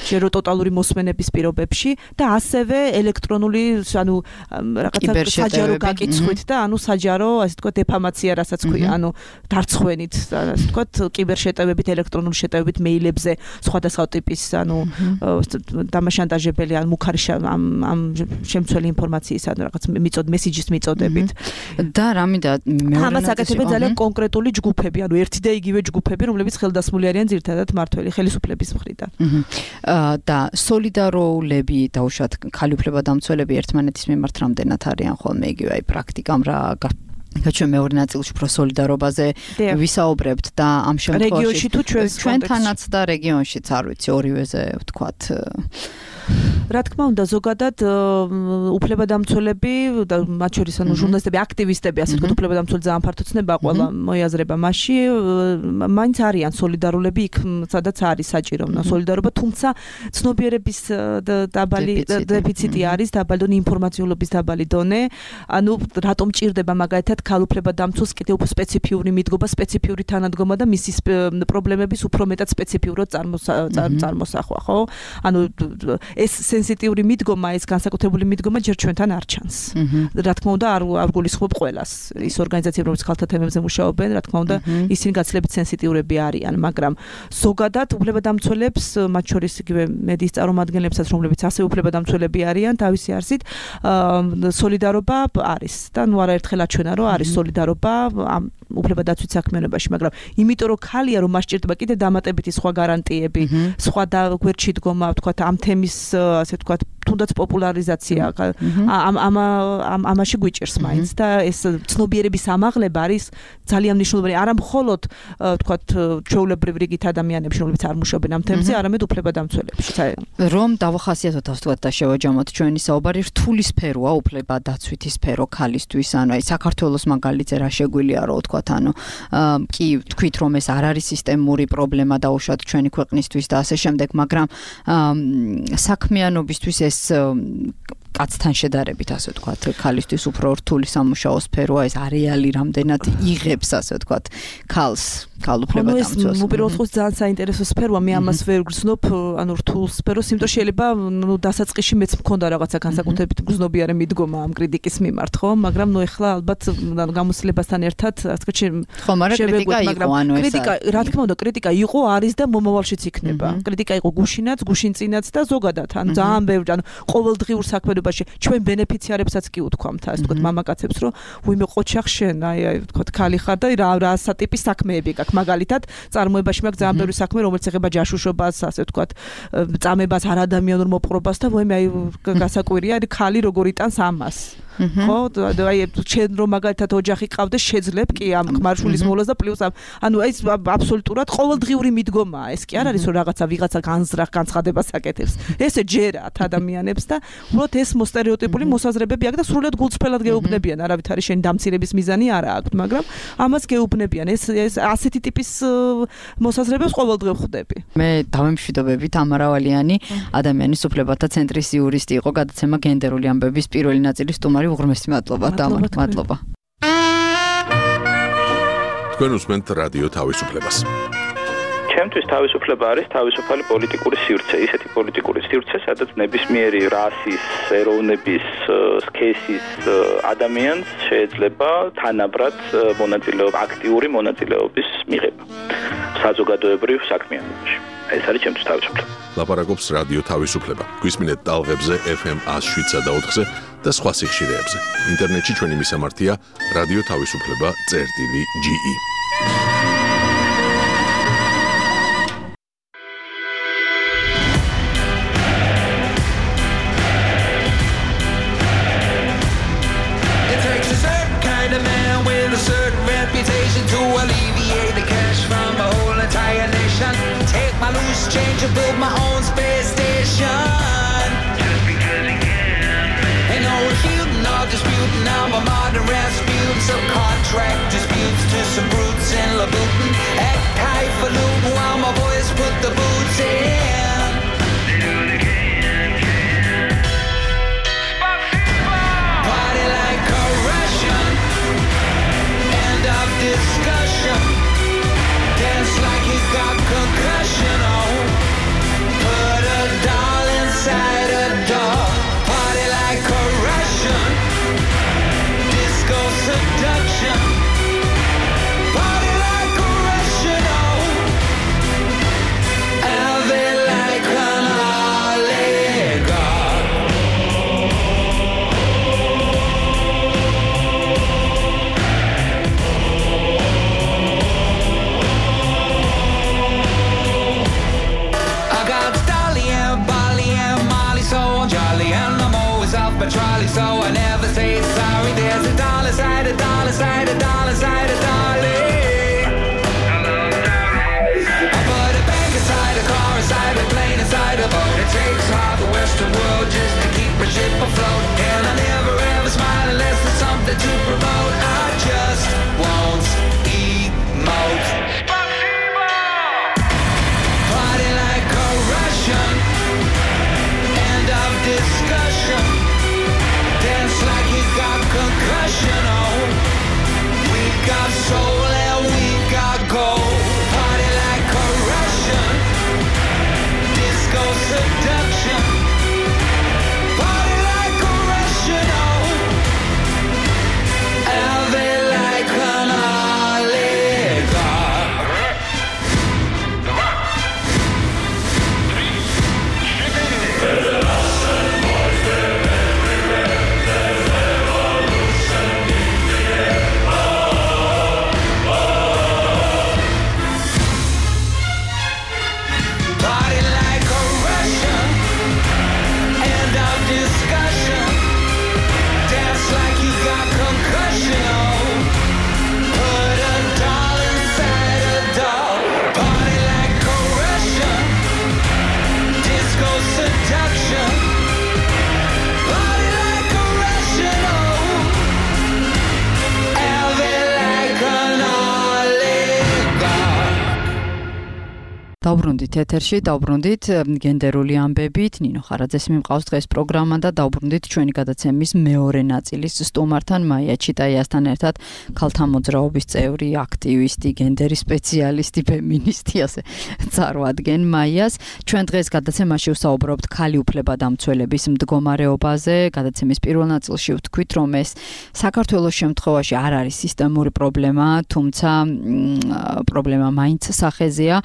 შერო ტოტალური მოსმენების პირობებში და ასევე ელექტრონული, ანუ რაღაცა საჯარო გაკიცხვით და ანუ საჯარო ასე თქვა დეფამაცია რასაც ქვია, ანუ დარცხვენით, ასე თქვა კიბერშეტევებით, ელექტრონული შეტევებით მეილებზე, სხვადასხვა ტიპის ანუ დამაშანტაჟებელი ან მუქარი ამ ამ შემცველი ინფორმაციის ანუ რაღაც მიწოდ მესიჯის მიწოდებით. და რამიდა მეორე ამას აკეთებენ ძალიან კონკრეტული ჯგუფები, ანუ ერთი და იგივე ჯგუფები, რომლებიც ხელდასმული არიან ძირითადად მართველი ხელისუფლების მხრიდან. და სოლიდარულები დაუშვათ ქალი უფლებადამცველები ერთმანეთის მიმართ რამდენად არიან ხოლმე იგივე აი პრაქტიკამ რა გაჩვენ მეორე ნაწილში უფრო სოლიდარობაზე ვისაუბრებთ და ამ შემთხვევაში ჩვენთანაც და რეგიონშიც არ ვიცი ორივეზე ვთქვათ რა თქმა უნდა ზოგადად უფლებადამცველები და მათ შორის ანუ ჟურნალისტები აქტივისტები ასე ვთქვათ უფლებადამცველი ძალიან ფართო ცნება ყველა მოიაზრება მასში მაინც არიან სოლიდარულები იქ სადაც არის საჭირო სოლიდარობა თუმცა ცნობიერების დაბალი დეფიციტი არის დაბალი დონე ინფორმაციულობის დაბალი დონე ანუ რატომ ჭირდება მაგალითად ქალ უფლებადამცველს კიდევ უფრო სპეციფიური მიდგომა სპეციფიური თანადგომა და მისი პრობლემების უფრო მეტად სპეციფიურად წარმოსახვა ხო ანუ ეს სენსიტიური მიდგომა, ეს განსაკუთრებული მიდგომა ჯერ ჩვენთან არ ჩანს. რა თქმა უნდა, არ არ გულისხმობ ყველას. ის ორგანიზაციები, რომლებიც ხალხთა თემებზე მუშაობენ, რა თქმა უნდა, ისინი გაცილებით სენსიტიურები არიან, მაგრამ ზოგადად უფლებადამცველებს, მათ შორის იგივე მედიის წარმომადგენლებსაც, რომლებიც ასევე უფლებადამცველები არიან, თავისი არსით, სოლიდარობა არის და ნუ არაერთხელ აჩვენა, რომ არის სოლიდარობა ამ უფლებადაცვით საქმიანობაში, მაგრამ იმიტომ რომ ხალია რომ მას ჭირდება კიდე დამატებითი სხვა გარანტიები, სხვა და გვერდში დგომა, ვთქვათ, ამ თემის ასე ვთქვათ, თუნდაც პოპულარიზაცია ამ ამ ამ ამაში გვიჭირს მაინც და ეს ცნობიერების ამაღლება არის ძალიან მნიშვნელოვანი. არა მხოლოდ ვთქვათ, ჩვეულებრივ რიგით ადამიანებში, რომლებიც არ მუშაობენ ამ თემზე, არამედ უფლებადამცველებში. რომ დავახასიათოთ ვთქვათ და შევაჯამოთ ჩვენი საუბარი რთული სფეროა უფლებადაცვითი სფერო ქალისთვის, ანუ აი საქართველოს მაგალითზე რა შეგვიძლია რომ ვთქვათ, ანუ კი თქვით რომ ეს არ არის სისტემური პრობლემა დაუშვათ ჩვენი ქვეყნისთვის და ასე შემდეგ, მაგრამ საქმიანობისთვის ეს კაცთან შედარებით ასე ვთქვათ, ქალისთვის უფრო რთული სამუშაო სფეროა, ეს არეალი რამდენად იღებს ასე ვთქვათ, ქალს, ქალ უფლებადამცველს. ნუ უპირველეს ყოვლისა ძალიან საინტერესო სფეროა, მე ამას ვერ გრძნობ, ანუ რთულ სფეროს, იმიტომ რომ შეიძლება ნუ დასაწყისში მეც მქონდა რაღაცა განსაკუთრებით გრძნობიარე მიდგომა ამ კრიტიკის მიმართ, ხო? მაგრამ ნუ ეხლა ალბათ გამოცდილებასთან ერთად, ასე ვთქვათ, ხო, მაგრამ კრიტიკა იყო, ანუ ეს კრიტიკა, რა თქმა უნდა, კრიტიკა იყო, არის და მომავალშიც იქნება. კრიტიკა იყო გუშინაც, გუშინწინაც და ზოგადად, ანუ ძალიან ბევრი, ანუ ყოველდღიურ საქმიანობაში ჩვენ ბენეფიციარებსაც კი უთქვამთ, ასე ვთქვათ, მამაკაცებს, რომ ვიმე ყოჩახ შენ, აი, აი, ვთქვათ, ქალი ხარ და რა რა სატიპის საქმეები გაქვს. მაგალითად, წარმოებაში მაქვს ძალიან ბევრი საქმე, რომელიც ეხება ჯაშუშობას, ასე ვთქვათ, წამებას, არადამიანურ მოპყრობას და ვიმე აი გასაკვირია, აი ქალი როგორ იტანს ამას. ხო, აი შენ რომ მაგალითად ოჯახი ყავდეს, შეძლებ კი ამ ხმარშულის მოვლას და პლუს ანუ ეს აბსოლუტურად ყოველდღიური მიდგომაა. ეს კი არ არის რომ რაღაცა ვიღაცა განზრახ განცხადებას აკეთებს. ესე ჯერათ ადამიანებს და უბრალოდ ეს მოსტერეოტიპული მოსაზრებები აქვს და სრულად გულწრფელად გეუბნებიან. არავითარი შენ დამცირების მიზანი არ აქვს, მაგრამ ამას გეუბნებიან. ეს ეს ასეთი ტიპის მოსაზრებებს ყოველდღე ვხვდები. მე დავემშვიდობები თამარა ვალიანი, ადამიანის უფლებათა ცენტრის იურისტი იყო, გადაცემა გენდერული ამბების პირველი ნაწილის სტუმარი. უღრმესი მადლობა, თამარა, მადლობა. თქვენ უსმენთ რადიო თავისუფლებას. ჩემთვის თავისუფლება არის თავისუფალი პოლიტიკური სივრცე, ისეთი პოლიტიკური სივრცე, სადაც ნებისმიერი რასის, ეროვნების, სქესის ადამიანს შეიძლება თანაბრად მონაწილეობა, აქტიური მონაწილეობის მიღება საზოგადოებრივ საქმიანობაში. ეს არის ჩემთვის თავისუფლება. ლაპარაკობს რადიო თავისუფლება. გვისმინეთ ტალღებზე ეფ ემ one oh seven და ოთხზე და სხვა სიხშირეებზე. ინტერნეტში ჩვენი მისამართია რადიო თავისუფლება წერტილი ჯი ი. Change to build my own space station. Just because he can. Ain't no refuting or disputing. I'm a modern Rasputin. Some contract disputes to some brutes in Louboutin. Act highfalutin while my boys put the boots in. They do what they can, can. Party like a Russian. End of discussion. Dance like he got concussion. Put a doll inside a doll. Party like a Russian. დავბრუნდით ეთერში, დავბრუნდით გენდერული ამბებით. ნინო ხარაძეს მიმყავს დღეს პროგრამა და დავბრუნდით ჩვენი გადაცემის მეორე ნაწილის სტუმართან, მაია ჩიტაიასთან ერთად, ქალთა მოძრაობის წევრი, აქტივისტი, გენდერის სპეციალისტი, ფემინისტი, ასე წარვადგენ მაიას. ჩვენ დღეს გადაცემაში ვსაუბრობთ ქალი უფლებადამცველების მდგომარეობაზე. გადაცემის პირველ ნაწილში ვთქვით, რომ ეს საქართველოს შემთხვევაში არ არის სისტემური პრობლემა, თუმცა პრობლემა მაინც სახეზეა.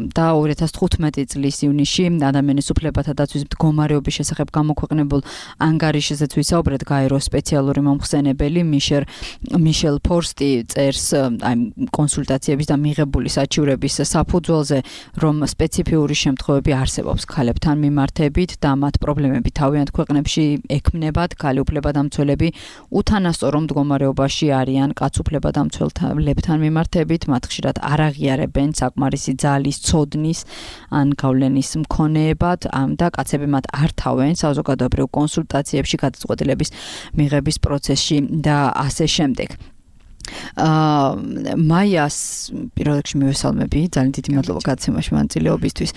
და ორი ათას თხუთმეტი წლის ივნისში ადამიანის უფლებათა დაცვის მდგომარეობის შესახებ გამოქვეყნებულ ანგარიშზეც ვისაუბრეთ. გაეროს სპეციალური მომხსენებელი მიშელ მიშელ ფორსტი წერს აი კონსულტაციების და მიღებული საჩივრების საფუძველზე, რომ სპეციფიური შემთხვევები არსებობს ქალებთან მიმართებით და მათ პრობლემები თავიანთ ქვეყნებში ექმნებათ. ქალი უფლებადამცველები უთანასწორო მდგომარეობაში არიან კაც უფლებადამცველებთან მიმართებით, მათ ხშირად არ აღიარებენ საკმარისი ძალის ცოდნის ან გავლენის მქონეებად და კაცები მათ არ თავენ საზოგადოებრივ კონსულტაციებში გადაწყვეტილების მიღების პროცესში და ასე შემდეგ. აა მაიას პირველ რიგში მივესალმები, ძალიან დიდი მადლობა გადაცემაში მონაწილეობისთვის.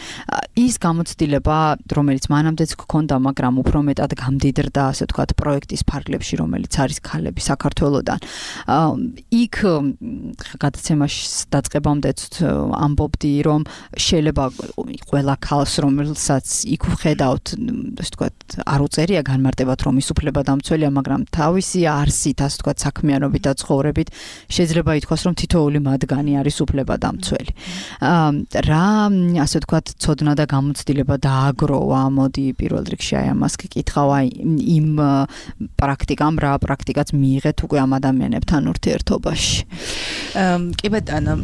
ის გამოცდილება, რომელიც მანამდეც გქონდა, მაგრამ უფრო მეტად გამდიდრდა, ასე ვთქვათ, პროექტის ფარგლებში, რომელიც არის ქალები საქართველოსთან. აა იქ გადაცემაში დაწყებამდეც ამბობდი, რომ შეიძლება ყველა ქალს, რომელსაც იქ ვხედავთ, ასე ვთქვათ, არ უწერია განმარტებად, რომ ის უფლებადამცველია, მაგრამ თავისი არსით, ასე ვთქვათ, საქმიანობით და ცხოვრებით შეიძლება ითქვას, რომ თითოეული მათგანი არის უფლებადამცველი. რა, ასე ვთქვათ, ცოდნა და გამოცდილება დააგროვა, მოდი პირველ რიგში აი ამას გკითხავ, აი იმ პრაქტიკამ, რა პრაქტიკაც მიიღეთ უკვე ამ ადამიანებთან ურთიერთობაში. კი ბატონო,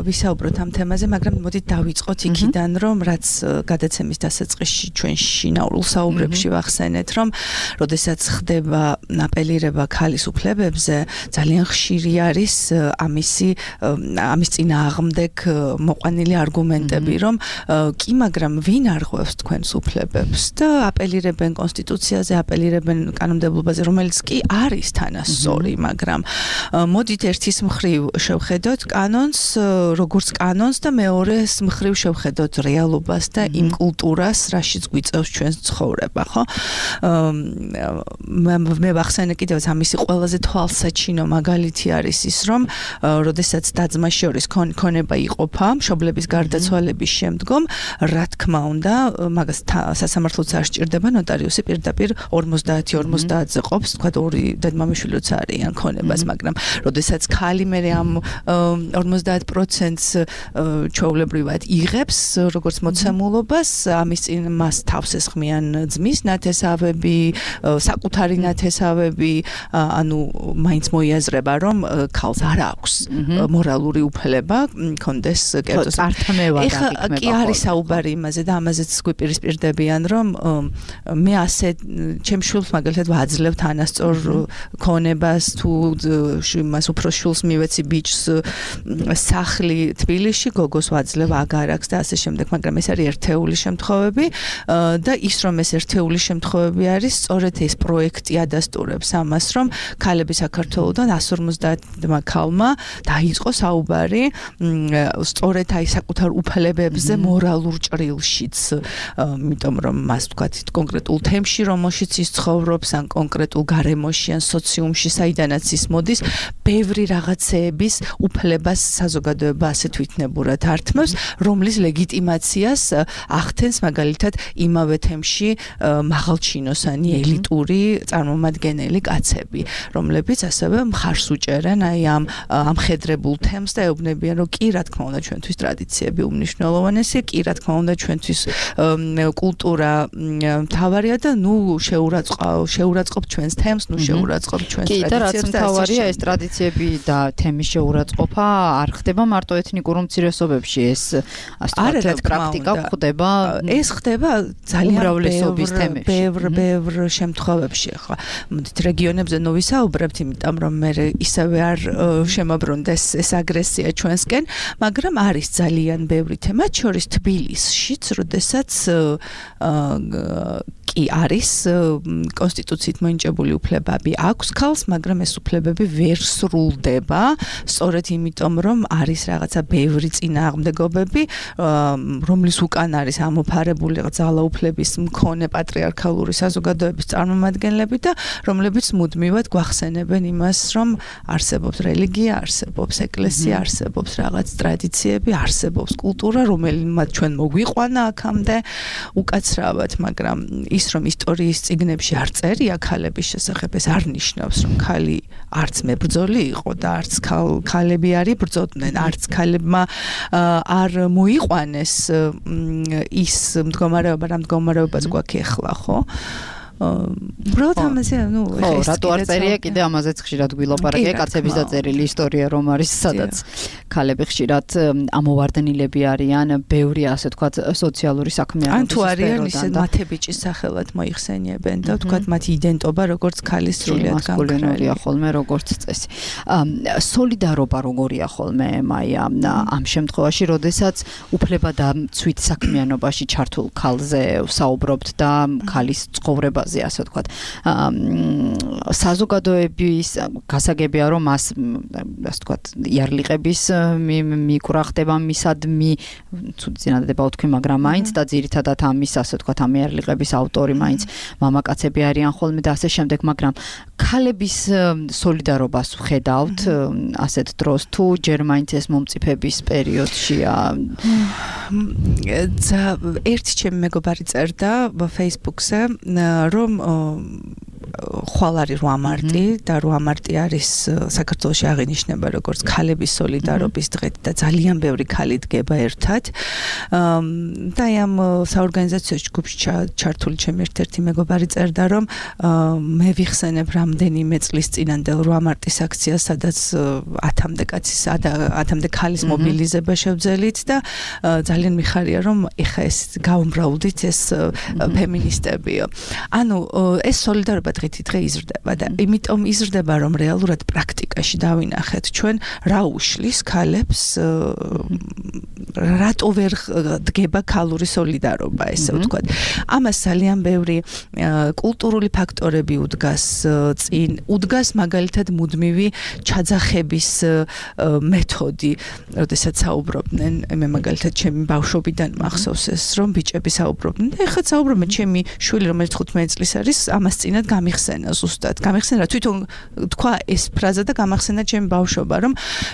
ვისაუბროთ ამ თემაზე, მაგრამ მოდით დავიწყოთ იქიდან, რომ რაც გადაცემის დასაწყისში ჩვენ შინაურულ საუბრებში ვახსენეთ, რომ როდესაც ხდება აპელირება ქალის უფლებებზე, ძალიან ხშირი არის ამისი ამის წინააღმდეგ მოყვანილი არგუმენტები, რომ კი, მაგრამ ვინ არღვევს თქვენს უფლებებს და აპელირებენ კონსტიტუციაზე, აპელირებენ კანონმდებლობაზე, რომელიც კი არის თანასწორი, მაგრამ მოდით ერთის მხრივ შევხედოთ კანონს, როგორც კანონს და მეორეს მხრივ შევხედოთ რეალობას და იმ კულტურას, რაშიც გვიწევს ჩვენს ცხოვრება, ხო? მე ვახსენე კიდევაც ამისი ყველაზე თვალსაჩინო მაგალითი არის ის, რომ როდესაც და-ძმა შორის ქონება იყოფა მშობლების გარდაცვალების შემდგომ, რა თქმა უნდა, მაგას სასამართლოც არ სჭირდება, ნოტარიუსი პირდაპირ ორმოცდაათი ორმოცდაათზე ყოფს, თქვა ორი დედმამიშვილიც არიან ქონებას, მაგრამ როდესაც ქალი მე ამ ორმოცდაათ პროცენტს ჩვეულებრივად იღებს, როგორც მოცემულობას, ამის წინ მას თავს ესხმიან ძმის ნათესავები, საკუთარი ნათესავები, ანუ მაინც მოიაზრება, რომ ქალს არ აქვს მორალური უფლება კონდეს კერძოს წართმევა და იქნება. კი არის საუბარი იმაზე და ამაზეც გვიპირისპირდებიან, რომ მე ასე ჩემ შვილს მაგალითად ვაძლევ თანასწორ ქონებას, თუ მას უფროს შვილს მივეცი ბიჭს სახლი თბილისში, გოგოს ვაძლევ აგარაკს და ასე შემდეგ, მაგრამ ეს არის ერთეული შემთხვევები და ის რომ ეს ერთეული შემთხვევები არის, სწორედ ეს პროექტი ადასტურებს ამას, რომ ქალები საქართველოსთან ას ორმოცდაათმა ქალმა დაიწყო საუბარი სწორედ აი საკუთარ უფლებებზე მორალურ ჭრილშიც, იმიტომ რომ მას ვთქვათ კონკრეტულ თემში, რომელშიც ის ცხოვრობს, ან კონკრეტულ გარემოში, ან სოციუმში, საიდანაც ის მოდის, ბევრი რაღაცეების უფლებას საზოგადოება ასე თვითნებურად ართმევს, რომლის ლეგიტიმაციას ახდენს მაგალითად იმავე თემში მაღალჩინოსანი ელიტური წარმომადგენელი კაცები, რომლებიც ასევე მხარს უჭერენ აი ამ ამხედრებულ თემს და ეუბნებიან, რომ კი, რა თქმა უნდა, ჩვენთვის ტრადიციები უმნიშვნელოვანესია, კი, რა თქმა უნდა, ჩვენთვის კულტურა მთავარია და ნუ შეურაცხყოფ ჩვენს თემს, ნუ შეურაცხყოფ ჩვენს ტრადიციებს. კი, და რაც მთავარია, ეს ტრადიციები და თემის შეურაცხყოფა არ ხდება მარტო ეთნიკურ უმცირესობებში, ეს ასე ვთქვათ, პრაქტიკა ხდება. ეს ხდება ძალიან უმრავლესობის თემებში. ბევრ ბევრ შემთხვევებში, ხო. მოდით რეგიონებზე ნუ ვისაუბრებთ, იმიტომ რომ მე ისევე არ შემოbrunდეს ეს აგრესია ჩვენსკენ, მაგრამ არის ძალიან ბევრი თემა, შორის თბილისშიც, როდესაც კი არის კონსტიტუციით მოინჭებული უფლებები აქვს ქალს, მაგრამ ეს უფლებები ვერ სრულდება, სწორედ იმიტომ, რომ არის რაღაცა ბევრი წინააღმდეგობები, რომლის უკან არის ამოფარებული ძალაუფლების მქონე პატრიარქალური საზოგადოების წარმომადგენლები და რომლებიც მუდმივად გვახსენებენ იმას, რომ არსებობს რელიგია, არსებობს ეკლესია, არსებობს რაღაც ტრადიციები, არსებობს კულტურა, რომელიმაც ჩვენ მოგვიყვანა აქამდე უკაცრავად, მაგრამ ის რომ ისტორიის წიგნებში არ წერია ქალების შესახებ, ეს არ ნიშნავს, რომ ქალი არც მებრძოლი იყო და არც ქალები არ იბრძოდნენ, არც ქალებმა არ მოიყვანეს ის მდგომარეობა, რა მდგომარეობაც გვაქვს ახლა, ხო? უბრალოდ ამაზე, ნუ, ხო, რატო არ წერია კიდე ამაზეც ხშირად გვილაპარაკია, კაცების დაწერილი ისტორია რომ არის, სადაც ქალები ხშირად ამოვარდნილები არიან, ბევრი ასე ვთქვათ სოციალური საქმიანობის სფეროდან. ან თუ არიან ისე მათებიჭის სახელად მოიხსენიებენ და ვთქვათ მათი იდენტობა როგორც ქალის სრულიად განკრალია ხოლმე როგორც წესი. სოლიდარობა როგორია ხოლმე, მაია, ამ შემთხვევაში, როდესაც უფლება და მცვით საქმიანობაში ჩართულ ქალზე ვსაუბრობთ და ქალის ცხოვრებაზე ასე ვთქვათ. საზოგადოების გასაგებია რომ მას ასე ვთქვათ იარლიყების მიკვრა ხდება მისადმი წინადადება ვთქვი, მაგრამ მაინც და ძირითადად ამის ასე ვთქვათ ამ იარლიყების ავტორი მაინც მამაკაცები არიან ხოლმე და ასე შემდეგ, მაგრამ ქალების სოლიდარობას ვხედავთ ასეთ დროს თუ ჯერ მაინც ეს მომწიფების პერიოდშია. ერთი ჩემი მეგობარი წერდა Facebook-ზე, რომ ხვალ არის რვა მარტი და რვა მარტი არის საქართველოში აღინიშნება როგორც ქალების სოლიდარობის დღე და ძალიან ბევრი ქალი დგება ერთად. და ამ საორგანიზაციო ჯგუფში ჩართული ჩემი ერთ-ერთი მეგობარი წერდა, რომ მე ვიხსენებ რამდენიმე წლის წინანდელ რვა მარტის აქციას, სადაც ათამდე კაცის ათამდე ქალის მობილიზება შევძელით და ძალიან მიხარია, რომ ეხა ეს გაუმრავლდით ეს ფემინისტებიო. ანუ ეს სოლიდარობა დღითი დღე იზრდება და იმიტომ იზრდება, რომ რეალურად პრაქტიკაში დავინახეთ ჩვენ რა უშლის ქალებს, რატო ვერ დგება ქალური სოლიდარობა, ესე ვთქვათ. ამას ძალიან ბევრი კულტურული ფაქტორები უდგას წინ, უდგას მაგალითად მუდმივი ჩაძახების მეთოდი, როდესაც საუბრობდნენ, მე მაგალითად ჩემი ბავშვობიდან მახსოვს ეს, რომ ბიჭები საუბრობდნენ და ეხლა საუბრობენ, ჩემი შვილი რომელიც თხუთმეტი წლის არის, ამას წინათ გამიხსენა ზუსტად. გამიხსენა, თვითონ თქვა ეს ფრაზა და გამახსენა ჩემი ბავშვობა, რომ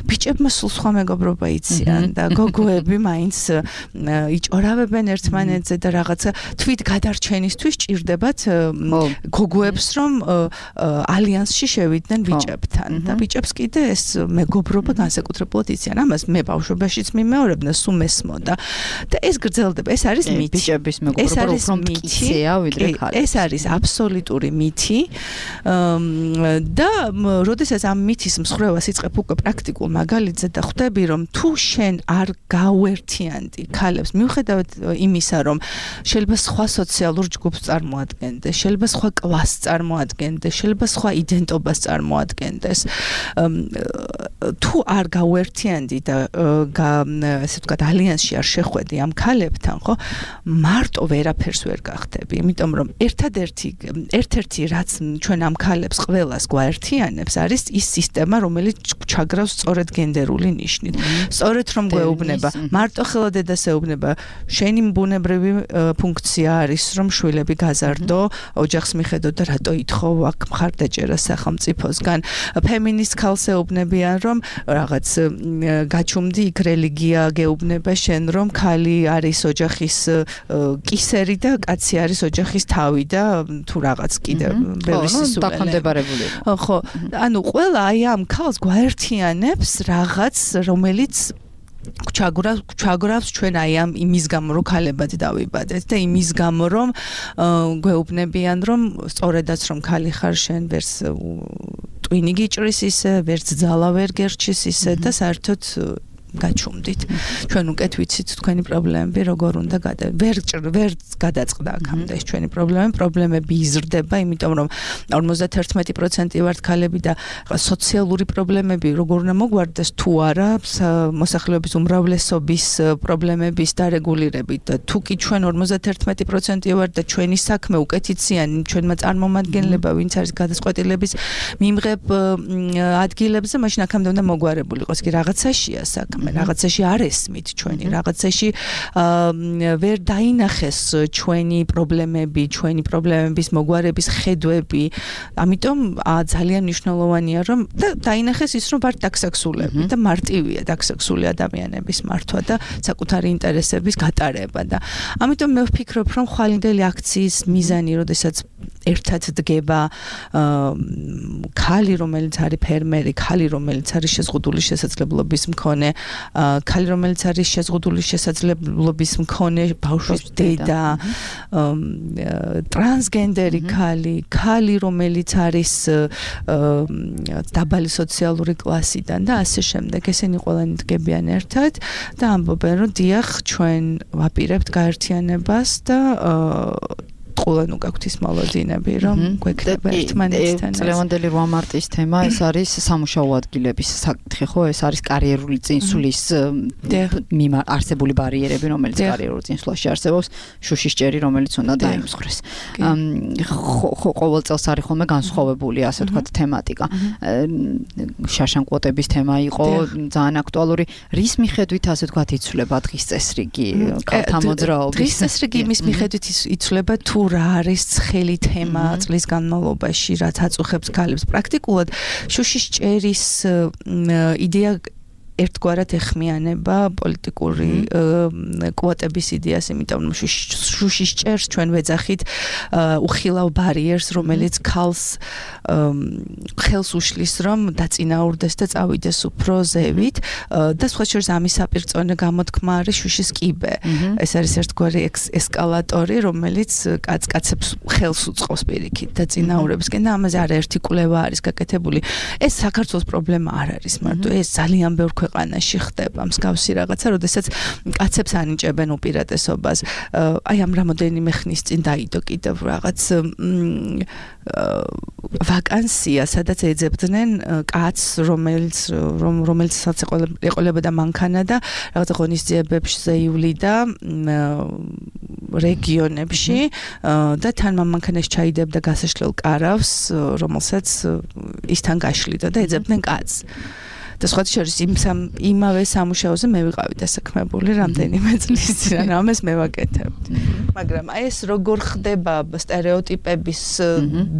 ბიჭებმა სულ სხვა მეგობრობა იციან და გოგოები მაინც იჭორავებენ ერთმანეთზე და რაღაცა თვით გადარჩენისთვის ჭირდებათ გოგოებს, რომ ალიანსში შევიდნენ ბიჭებთან და ბიჭებს კიდე ეს მეგობრობა განსაკუთრებულად იციან. ამას მე ბავშვობაშიც მიმეორებდა, სულ მესმოდა და ეს გრძელდება. ეს არის მითი. ბიჭების მეგობრობა უფრო მტკიცეა ვიდრე ქალების. ეს არის აბსოლუტური მითი და როდესაც ამ მითის მსხრევას იწყებ უკვე პრაქტიკულ მაგალითზე და ხვდები, რომ თუ შენ არ გავერთიანდი ქალებს, მიუხედავად იმისა, რომ შეიძლება სხვა სოციალურ ჯგუფს წარმოადგენდეს, შეიძლება სხვა კლასს წარმოადგენდეს, შეიძლება სხვა იდენტობას წარმოადგენდეს, თუ არ გავერთიანდი და ესე ვთქვათ ალიანსში არ შეხვედი ამ ქალებთან, ხო, მარტო ვერაფერს ვერ გახდები, იმიტომ რომ ერთადერთი ერთ-ერთი რაც ჩვენ ამ ქალებს ყველას გვაერთიანებს არის ის სისტემა, რომელიც ჩაგრავს სწორედ გენდერული ნიშნით. სწორედ რომ გვეუბნება, მარტო ხელა დედას ეუბნება, შენი ბუნებრივი ფუნქცია არის, რომ შვილები გაზარდო, ოჯახს მიხედო და რატო ითხოვ აქ მხარდაჭერა სახელმწიფოსგან. ფემინისტ ქალს ეუბნებიან, რომ რაღაც გაჩუმდი იქ რელიგია გეუბნება შენ, რომ ქალი არის ოჯახის კისერი და კაცი არის ოჯახის თავი და თუ რაღაც კიდე ბევრი დაქვემდებარებული. ხო, ანუ ყველა აი ამ ქალს გვაერთიანებს რაღაც, რომელიც ჩაგვრავს ჩაგვრავს ჩვენ აი ამ იმის გამო რომ ქალებად დავიბადეთ და იმის გამო რომ გვეუბნებიან რომ სწორედაც რომ ქალი ხარ შენ ვერც ტვინი გიჭრის ისე ვერც ძალა ვერ გერჩის ისე და საერთოდ გაჩუმდით. ჩვენ უკეთ ვიცით თქვენი პრობლემები როგორ უნდა გადა ვერ ვერ გადაწყდა აქამდე ეს ჩვენი პრობლემები, პრობლემები იზრდება, იმიტომ რომ ორმოცდაერთმეტი პროცენტი ვართ ქალები და სოციალური პრობლემები როგორ უნდა მოგვარდეს თუ არა მოსახლეობის უმრავლესობის პრობლემების დარეგულირებით და თუ კი ჩვენ ორმოცდაერთმეტი პროცენტი ვართ და ჩვენი საქმე უკეთიციანი ჩვენმა წარმომადგენლებმა ვინც არის გადაწყვეტილების მიმღებ ადგილებზე მაშინ აქამდე უნდა მოგვარებული იყოს კი რაღაცაშია საქმე რაღაცაში არ ესმით ჩვენი რაღაცაში ვერ დაინახეს ჩვენი პრობლემები ჩვენი პრობლემების მოგვარების ხედვები ამიტომ ძალიან მნიშვნელოვანია რომ დაინახეს ის რომ ვართ დაქსაქსულები და მარტივია დაქსაქსული ადამიანების მართვა და საკუთარი ინტერესების გატარება და ამიტომ მე ვფიქრობ რომ ხვალინდელი აქციის მიზანი როდესაც ერთად დგება ქალი რომელიც არის ფერმერი ქალი რომელიც არის შეზღუდული შესაძლებლობის მქონე ქალი რომელიც არის შეზღუდული შესაძლებლობის მქონე ბავშვის დედა ტრანსგენდერი ქალი ქალი რომელიც არის დაბალი სოციალური კლასიდან და ასე შემდეგ ესენი ყველანი დგებიან ერთად და ამბობენ რომ დიახ ჩვენ ვაპირებთ გაერთიანებას და ყველანუ გაქვთ ის მოლოდინები რომ გვექნება ერთმანეთთან წლევანდელი რვა მარტის თემა ეს არის სამუშაო ადგილების საკითხი ხო ეს არის კარიერული წინსვლის არსებული ბარიერები რომელიც კარიერულ წინსვლაში არსებობს შუშისჭერი რომელიც უნდა დაიმსხვრეს ყოველ წელს არის ხოლმე განსხვავებული ასე ვთქვათ თემატიკა შაშან კვოტების თემა იყო ძალიან აქტუალური რის მიხედვით ასე ვთქვათ იცვლება დღის წესრიგი ქალთა მოძრაობის დღის წესრიგი იმის მიხედვით იცვლება თუ რა არის ცხელი თემა წლის განმავლობაში რაც აწუხებს ქალებს პრაქტიკულად შუშისჭერის იდეა ერთგვარად ეხმიანება პოლიტიკური კვოტების იდეას, იმიტომ რომ შუშისჭერს ჩვენ ვეძახით უხილავ ბარიერს, რომელიც ქალს ხელს უშლის, რომ დაწინაურდეს და წავიდეს უფრო ზევით და სხვა შორის ამის საპირწონე გამოთქმა არის შუშის კიბე. ეს არის ერთგვარი ესკალატორი, რომელიც კაცკაცებს ხელს უწყობს პირიქით დაწინაურებისკენ და ამაზე არაერთი კვლევა არის გაკეთებული. ეს საქართველოს პრობლემა არ არის მარტო, ეს ძალიან ბევრ ქვეყანაში ხდება მსგავსი რაღაცა, როდესაც კაცებს ანიჭებენ უპირატესობას. აი ამ რამოდენიმე ხნის წინ დაიდო კიდევ რაღაც ვაკანსია, სადაც ეძებდნენ კაცს, რომელიც რომელსაც ეყოლებოდა მანქანა და რაღაცა ღონისძიებებზე ივლიდა რეგიონებში და თან მანქანაში ჩაიდებდა გასაშლელ კარავს, რომელსაც ისთან გაშლიდა და ეძებდნენ კაცს. და სხვა შორის იმ იმავე სამუშაოზე მე ვიყავი დასაქმებული რამდენიმე წლის წინ, ამას მე ვაკეთებდი. მაგრამ აი ეს როგორ ხდება სტერეოტიპების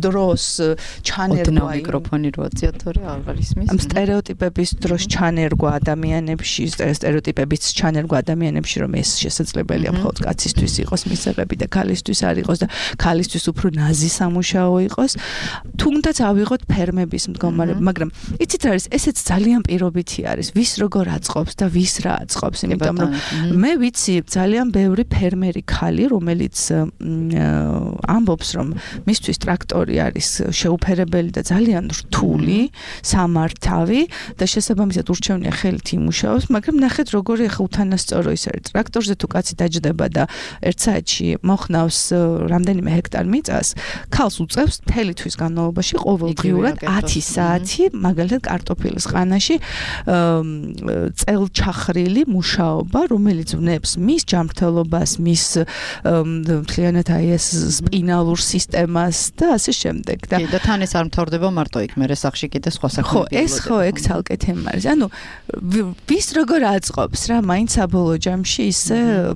დროს ჩანერგვა მიკროფონი რო აწია თორე აღარ ისმის. ამ სტერეოტიპების დროს ჩანერგვა ადამიანებში, სტერეოტიპების ჩანერგვა ადამიანებში, რომ ეს შესაძლებელია მხოლოდ კაცისთვის იყოს მისაღები და ქალისთვის არ იყოს და ქალისთვის უფრო ნაზი სამუშაო იყოს. თუნდაც ავიღოთ ფერმების მდგომარეობა, მაგრამ იცით რა არის, ესეც ძალიან პირობითი არის, ვის როგორ აწყობს და ვის რა აწყობს, იმიტომ რომ მე ვიცი ძალიან ბევრი ფერმერი ქალი, რომელიც ამბობს, რომ მისთვის ტრაქტორი არის შეუფერებელი და ძალიან რთული, სამართავი და შესაბამისად ურჩევნია ხელით იმუშაოს, მაგრამ ნახეთ როგორი ახლა უთანასწორო ის არის. ტრაქტორზე თუ კაცი დაჯდება და ერთ საათში მოხნავს რამდენიმე ჰექტარ მიწას, ქალს უწევს მთელი თვის განმავლობაში ყოველდღიურად ათი საათი, მაგალითად კარტოფილის ყანაში წელჩახრილი მუშაობა, რომელიც ვნებს მის ჯანმრთელობას, მის მთლიანად აი ეს სპინალურ სისტემას და ასე შემდეგ. და და თან ეს არ მთავრდება მარტო იქ, მერე სახში კიდე სხვა საქმეები. ხო, ეს ხო ეგ ცალკე თემა არის. ანუ ვის როგორ აწყობს რა, მაინც საბოლოო ჯამში ისე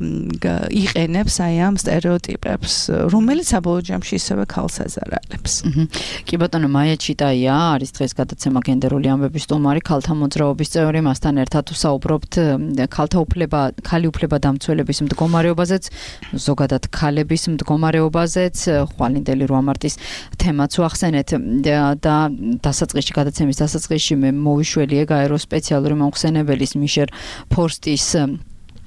იყენებს აი ამ სტერეოტიპებს, რომელიც საბოლოო ჯამში ისევე ქალს აზარალებს. კი ბატონო, მაია ჩიტაია არის დღეს გადაცემა გენდერული ამბების სტუმარი, ქალთა მოძრაობის წევრი, მასთან ერთად ვსაუბრობთ ქალთა უფლება, ქალი უფლება დამცველების მდგომარეობაზეც, ზოგადად ქალების მდგომარეობაზეც, ხვალინდელი რვა მარტის თემაც ვახსენეთ და დასაწყისში გადაცემის დასაწყისში მე მოვიშველი ეგ აეროსპეციალური მომხსენებელის მიშერ ფორსტის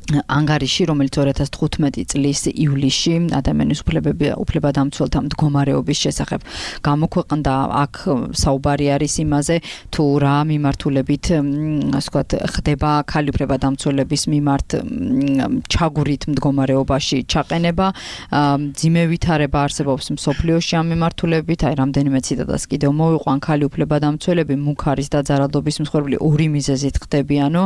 ანგარიში, რომელიც ორი ათას თხუთმეტი წლის ივლისში ადამიანის უფლებები უფლებადამცველთა მდგომარეობის შესახებ გამოქვეყნდა. აქ საუბარი არის იმაზე, თუ რა მიმართულებით, ასე ვთქვათ, ხდება ქალი უფლებადამცველების მიმართ ჩაგვრით მდგომარეობაში ჩაყენება, ძიმე ვითარება არსებობს მსოფლიოში ამ მიმართულებით, აი რამდენიმე ციტატას კიდევ მოვიყვან. ქალი უფლებადამცველები მუქარის და ძალადობის მსხვერპლი ორი მიზეზით ხდებიანო,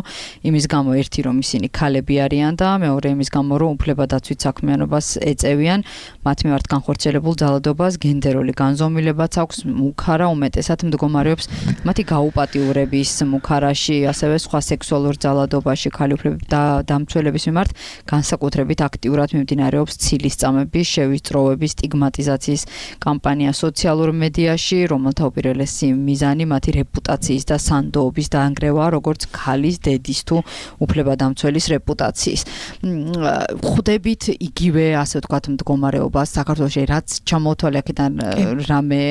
იმის გამო ერთი რომ ისინი ქალები და მეორე იმის გამო რომ უფლებადაცვით საქმიანობას ეწევიან, მათ მიმართ განხორციელებულ ძალადობას გენდერული განზომილებაც აქვს, მუქარა უმეტესად მდგომარეობს მათი გაუპატიურების მუქარაში, ასევე სხვა სექსუალურ ძალადობაში ქალი უფლებადამცველების მიმართ განსაკუთრებით აქტიურად მიმდინარეობს ცილისწამების, შევისწროების, სტიგმატიზაციის კამპანია სოციალურ მედიაში, რომელთა უპირველესი მიზანი მათი რეპუტაციის და სანდოობის დაანგრევაა, როგორც ქალის, დედის თუ უფლებადამცველის რეპუტაცია. ხვდებით იგივე ასე ვთქვათ მდგომარეობას საქართველოში, რაც ჩამოთვალე აქედან რამე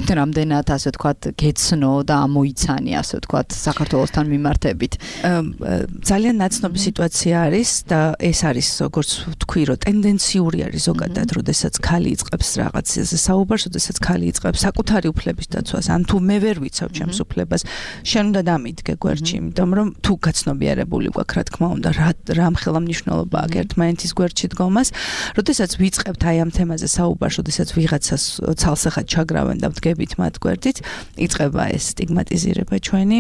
რამდენად ასე ვთქვათ გეცნო და ამოიცანი ასე ვთქვათ საქართველოსთან მიმართებით. ძალიან ნაცნობი სიტუაცია არის და ეს არის როგორც ვთქვი, რომ ტენდენციური არის ზოგადად, როდესაც ქალი იწყებს რაღაცაზე საუბარს, როდესაც ქალი იწყებს საკუთარი უფლების დაცვას, ან თუ მე ვერ ვიცავ ჩემს უფლებას, შენ უნდა დამიდგე გვერდში, იმიტომ რომ თუ გაცნობიერებული გვაქვს, რა თქმა უნდა, რა რა ხელმძღვანელობა აქვს ერთმანეთის გვერდში დგომას, როდესაც ვიწყებთ აი ამ თემაზე საუბარს, როდესაც ვიღაცას ცალსახად ჩაგრავენ და ვდგებით მათ გვერდით, იწყება ეს სტიგმატიზირება ჩვენი.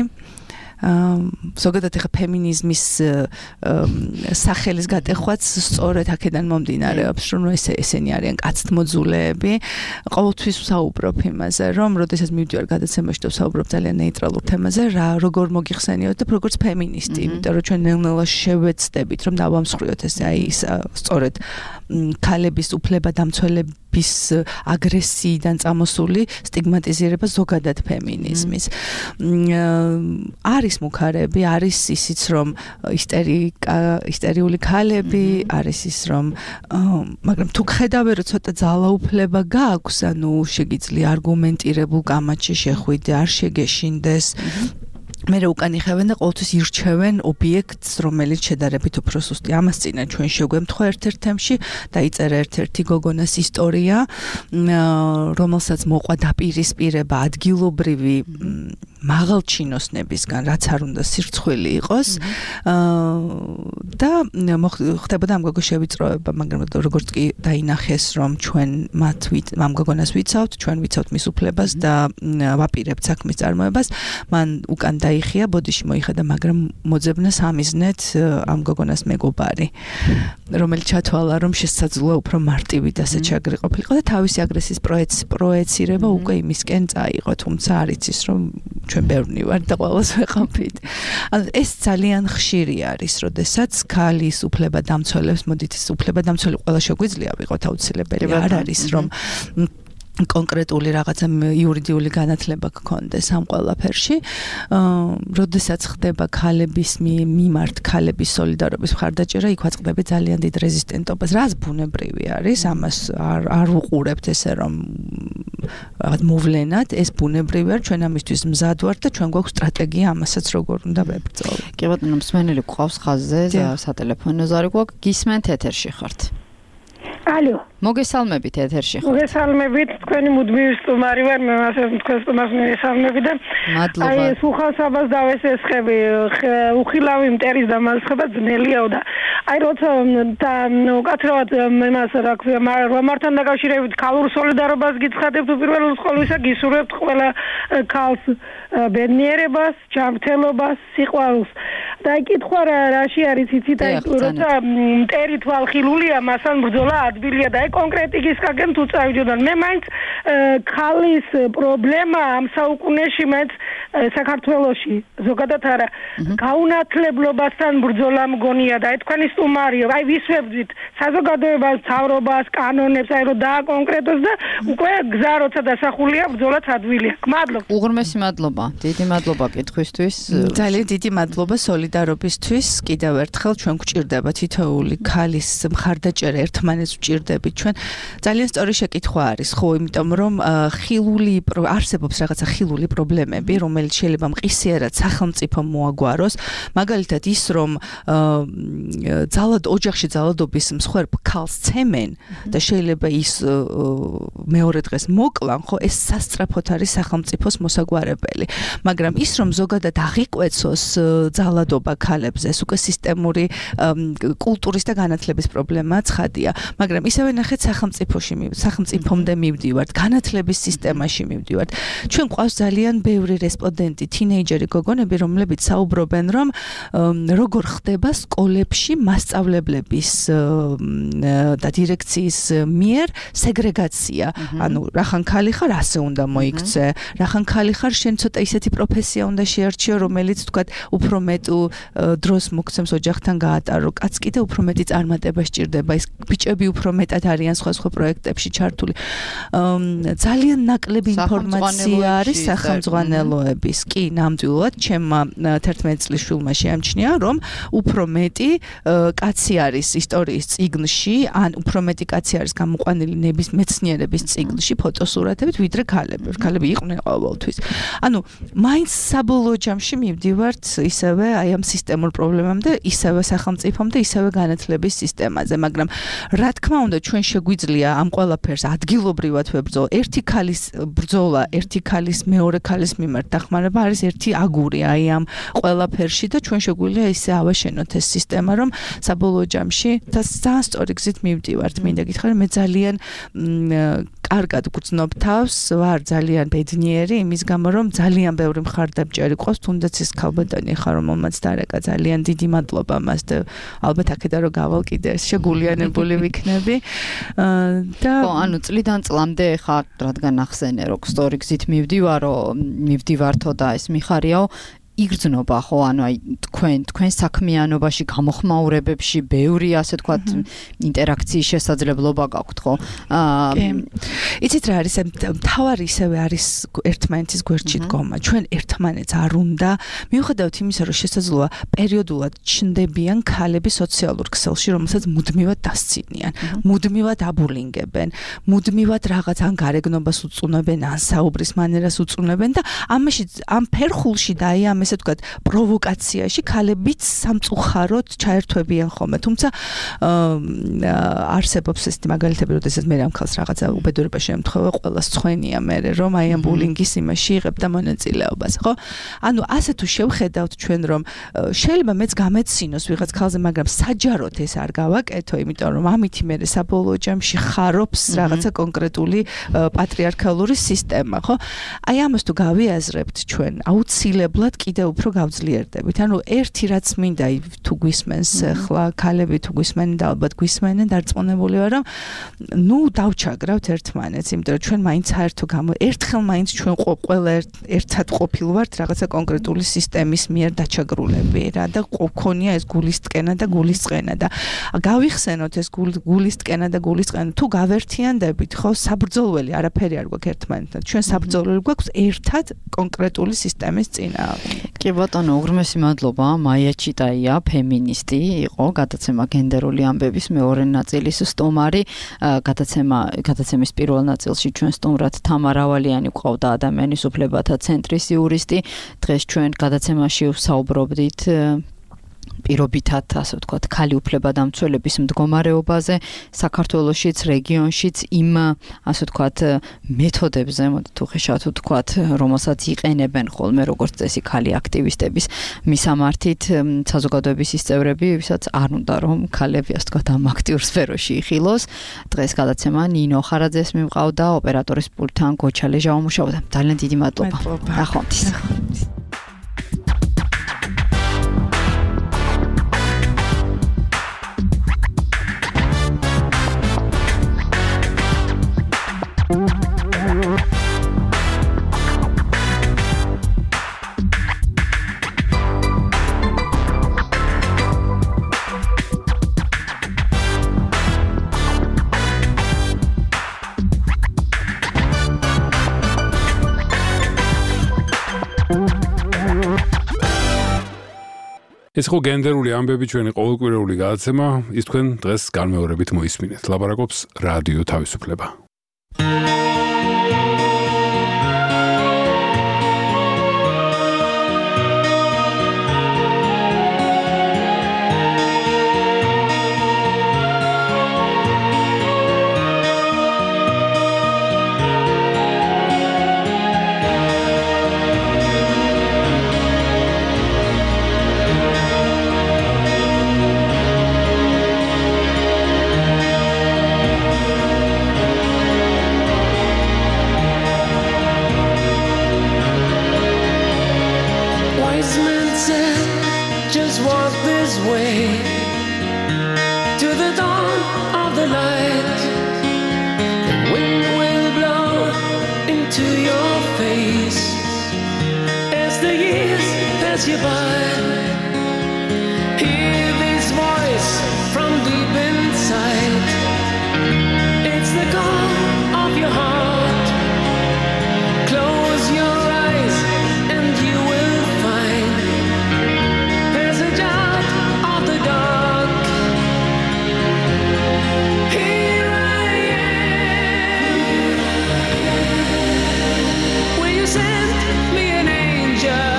ზოგადად ახლა ფემინიზმის სახელის გატეხვაც სწორედ აქედან მომდინარეობს, რომ ეს ესენი არიან კაცთმოძულეები. ყოველთვის ვსაუბრობ იმაზე, რომ როდესაც მივდივარ გადაცემაში და ვსაუბრობ ძალიან ნეიტრალურ თემაზე, რა როგორ მოგიხსენიოთ და როგორც ფემინისტი, იმიტომ რომ ჩვენ ნელ-ნელა შევეცდებით, რომ დავამსხვრიოთ ეს აი სწორედ ქალების უფლებადამცველების აგრესიიდან წამოსული სტიგმატიზირება ზოგადად ფემინიზმის. არის მუქარები, არის ისიც რომ ისტერიკა, ისტერიული ქალები, არის ის რომ მაგრამ თუ ხედავე რომ ცოტა ძალაუფლება გააქვს, ანუ შეგიძლია არგუმენტირებულ კამათში შეხვიდე, არ შეგეშინდეს. მე უკან იხევენ და ყოველთვის ირჩევენ ობიექტს, რომელიც შედარებით უფრო სუსტი. ამას წინა ჩვენ შეგვემთხვა ერთ-ერთ თემში, დაიწერა ერთ-ერთი გოგონას ისტორია, რომელსაც მოყვა დაპირისპირება ადგილობრივი მაღალჩინოსნებისგან, რაც არ უნდა სირცხვილი იყოს. და ხდებოდა ამ გოგოს შევიწროება, მაგრამ როგორც კი დაინახეს, რომ ჩვენ მათ ამ გოგონას ვიცავთ, ჩვენ ვიცავთ მის უფლებას და ვაპირებთ საქმის წარმოებას, მან უკან იხია ბოდიში მოიხადა, მაგრამ მოძებნა სამიზნეთ ამ გოგონას მეგობარი, რომელიც ჩათვალა, რომ შესაძლოა უფრო მარტივი და საჩაგრი ყოფილიყო და თავისი აგრესიის პროეცირება უკვე იმისკენ წაიღო, თუმცა არ იცის, რომ ჩვენ ბევრნი ვარ და ყველას ვეყავით. ანუ ეს ძალიან ხშირი არის, როდესაც ქალის უფლებადამცველებს, მოდით ეს უფლებადამცველი ყველა შეგვიძლია ვიყოთ აუცილებელი, არ არის რომ კონკრეტული რაღაცა იურიდიული განათლება გქონდეს ამ ყველაფერში. როდესაც ხდება ქალების მიმართ ქალების სოლიდარობის მხარდაჭერა, იქ ვაწყდები ძალიან დიდ რეზისტენტობას, რაც ბუნებრივი არის, ამას არ არ უყურებთ ესე რომ რაღაც მოვლენად, ეს ბუნებრივი არის, ჩვენ ამისთვის მზად ვართ და ჩვენ გვაქვს სტრატეგია ამასაც როგორ უნდა ვებრძოლოთ. კი ბატონო, მსმენელი გვყავს ხაზზე, სატელეფონო ზარი გვაქვს, გისმენთ ეთერში ხართ. ალო. მოგესალმებით ეთერში ხართ. მოგესალმებით, თქვენი მუდმივი სტუმარი ვარ, მე მასე თქვენ სტუმარს მოგესალმები და მადლობა. აი სუხალსაბას დავესესხები, უხილავი მტერის დამალცხება ძნელიაო და აი როცა და უკაცრავად იმას რა ქვია, რომართან დაკავშირებით ქალურ სოლიდარობას გიცხადებთ უპირველეს ყოვლისა, გისურვებთ ყველა ქალს ბედნიერებას, ჯანმრთელობას, სიყვარულს. და აი კითხვა რაში არის იცით, აი როცა მტერი თვალხილულია, მასთან ბრძოლა ადვილია და აი კონკრეტი გისკაგენ თუ წავიდოდან. მე მაინც ქალის პრობლემა ამ საუკუნეში მაინც საქართველოში ზოგადად არა გაუნათლებლობასთან ბრძოლა მგონია და აი თქვენი სტუმარიო, აი ვისვებდით საზოგადოებას, მთავრობას, კანონებს, აი რომ დააკონკრეტოს და უკვე გზა როცა დასახულია, ბრძოლაც ადვილია. მადლობა. უღრმესი მადლობა. დიდი მადლობა კითხვისთვის. ძალიან დიდი მადლობა სოლიდარობისთვის. კიდევ ერთხელ ჩვენ გვჭირდება თითოეული ქალის მხარდაჭერა, ერთმანეთს ვჭირდებით ჩვენ. ძალიან სწორი შეკითხვა არის, ხო, იმიტომ რომ ხილული არსებობს რაღაცა ხილული პრობლემები, რომელიც შეიძლება მყისიერად სახელმწიფომ მოაგვაროს. მაგალითად ის რომ ძალად ოჯახში ძალადობის მსხვერპ ქალს ცემენ და შეიძლება ის მეორე დღეს მოკლან, ხო, ეს სასწრაფოდ არის სახელმწიფოს მოსაგვარებელი. მაგრამ ის რომ ზოგადად აღიკვეცოს ძალადობა ქალებზე, ეს უკვე სისტემური კულტურის და განათლების პრობლემაა, ცხადია. მაგრამ ისევე ნახეთ სახელმწიფოში, სახელმწიფომდე მივდივართ, განათლების სისტემაში მივდივართ. ჩვენ გვყავს ძალიან ბევრი რესპონდენტი, თინეიჯერი გოგონები, რომლებიც საუბრობენ, რომ როგორ ხდება სკოლებში მასწავლებლების და დირექციის მიერ სეგრეგაცია. ანუ რახან ქალი ხარ, ასე უნდა მოიქცე. რახან ქალი ხარ, შენ ცოტა ისეთი პროფესია უნდა შეარჩიო, რომელიც თქვათ უფრო მეტ დროს მოგცემს ოჯახთან გაატარო. კაც კიდე უფრო მეტი წარმატება სჭირდება. ის ბიჭები უფრო მეტად არიან სხვა სხვა პროექტებში ჩართული. ძალიან ნაკლები ინფორმაცია არის სახელმძღვანელოების. კი, ნამდვილად, ჩემმა თერთმეტი წლის შვილმა შეამჩნია, რომ უფრო მეტი კაცი არის ისტორიის წიგნში, ან უფრო მეტი კაცი არის გამოყვანილი ნების მეცნიერების წიგნში ფოტოსურათებით, ვიდრე ქალები. ქალები იყვნენ ყოველთვის. ანუ მაინც საბოლოო ჯამში მივდივართ ისევე აი ამ სისტემურ პრობლემამდე, ისევე სახელმწიფომდე, ისევე განათლების სისტემაზე, მაგრამ რა თქმა უნდა, ჩვენ შეგვიძლია ამ ყველაფერს ადგილობრივად ვებრძოლო. ერთი ქალის ბრძოლა, ერთი ქალის მეორე ქალის მიმართ დახმარება არის ერთი აგური აი ამ ყველაფერში და ჩვენ შეგვიძლია ისე ავაშენოთ ეს სისტემა, რომ საბოლოო ჯამში და ძალიან სწორი გზით მივდივართ. მინდა გითხრათ, მე ძალიან კარგად გრძნობ თავს, ვარ ძალიან ბედნიერი იმის გამო, რომ ძალიან ბევრი მხარდამჭერი ყავს, თუნდაც ეს ქალბატონი ხარ, რომელმაც დარეკა, ძალიან დიდი მადლობა მას და ალბათ აქედან რომ გავალ კიდე შეგულიანებული ვიქნები. და ხო, ანუ წლიდან წლამდე ხარ, რადგან ახსენე, რომ სწორი გზით მივდივარო, მივდივართო და ეს მიხარიაო, იგრძნობა, ხო, ანუ აი თქვენ თქვენ საქმიანობაში, გამოხმაურებებში ბევრი ასე თქვა ინტერაქციის შესაძლებლობა გაქვთ, ხო? აა იცით რა არის, მთავარი ისევე არის ერთმანეთის გვერდში დგომა. ჩვენ ერთმანეთს არ უნდა, მიუხედავად იმისა, რომ შესაძლოა პერიოდულად ჩნდებიან ქალები სოციალურ ქსელში, რომელსაც მუდმივად დასცინიან, მუდმივად აბულინგებენ, მუდმივად რაღაც ან გარეგნობას უწუნებენ, ან საუბრის მანერას უწუნებენ და ამაში ამ ფერხულში და აი ამ ესე ვთქვათ, პროვოკაციაში ქალებიც სამწუხაროდ ჩაერთვებიან ხოლმე. თუმცა არსებობს ესეთი მაგალითები, როდესაც მე ამ ქალს რაღაცა უბედურებაში ემთხვევა, ყველას ცხენია მე, რომ აი ამ ბულინგის იმაში იღებდა მონაწილეობას, ხო? ანუ ასე თუ შევხედავთ ჩვენ, რომ შეიძლება მეც გამეცინოს ვიღაც ქალზე, მაგრამ საჯაროდ ეს არ გავაკეთო, იმიტომ რომ ამით მე საბოლოო ჯამში ხარობს რაღაცა კონკრეტული პატრიარქალური სისტემა, ხო? აი ამას თუ გავიაზრებთ ჩვენ, აუცილებლად კიდევ უფრო გავძლიერდებით. ანუ ერთი რაც მინდა თუ გვისმენს ხლა ქალები თუ გვისმენენ და ალბათ გვისმენენ, დარწმუნებული ვარ, რომ ნუ დავჩაგრავთ ერთმანეთს, იმიტომ რომ ჩვენ მაინც საერთო გამო ერთხელ მაინც ჩვენ ყველა ერთად ყოფილვართ რაღაცა კონკრეტული სისტემის მიერ დაჩაგრულები რა და გქონია ეს გულისწყენა და გულისწყენა და გავიხსენოთ ეს გულისწყენა და გულისწყენა თუ გავერთიანდებით, ხო, საბრძოლველი არაფერი არ გვაქვს ერთმანეთთან. ჩვენ საბრძოლველი გვაქვს ერთად კონკრეტული სისტემის წინააღმდეგ. კი ბატონო, უღრმესი მადლობა. მაია ჩიტაია, ფემინისტი იყო, გადაცემა გენდერული ამბების მეორე ნაწილის სტუმარი. გადაცემა გადაცემის პირველ ნაწილში ჩვენ სტუმრად თამარ ავალიანი გვყავდა, ადამიანის უფლებათა ცენტრის იურისტი. დღეს ჩვენ გადაცემაში ვსაუბრობდით პირობითად, ასე ვთქვათ, ქალი უფლებადამცველების მდგომარეობაზე საქართველოშიც, რეგიონშიც, იმ, ასე ვთქვათ, მეთოდებზე, მოდით უხეშად ვთქვათ, რომელსაც იყენებენ ხოლმე როგორც წესი ქალი აქტივისტების მისამართით, საზოგადოების ის წევრები, ვისაც არ უნდა რომ ქალები, ასე ვთქვათ, ამ აქტიურ სფეროში იხილოს. დღეს გადაცემა ნინო ხარაძეს მივყავდა, ოპერატორის პულტთან გოჩა ლეჟავა მუშაობდა. ძალიან დიდი მადლობა. ნახვამდის. ეს ხო გენდერული ამბები ჩვენი ყოველკვირეული გადაცემა, ის თქვენ დღეს განმეორებით მოისმინეთ. ლაპარაკობს რადიო თავისუფლება. You by hear this voice from deep inside. It's the call of your heart. Close your eyes and you will find there's a out of the dark. Here I am. Will you send me an angel?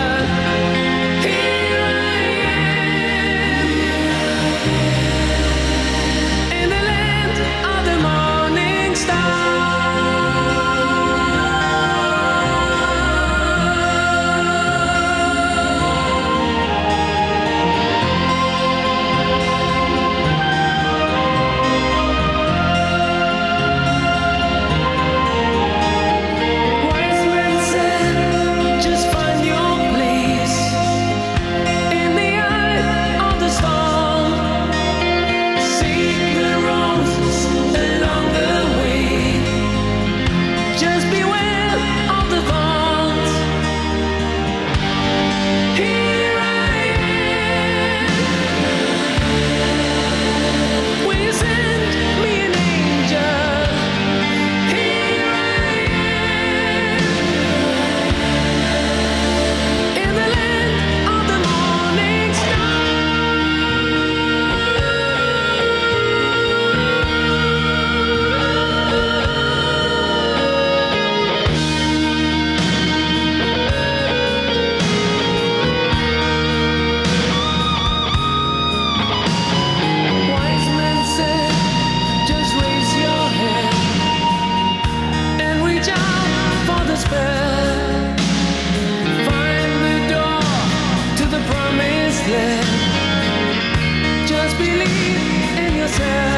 Just believe in yourself.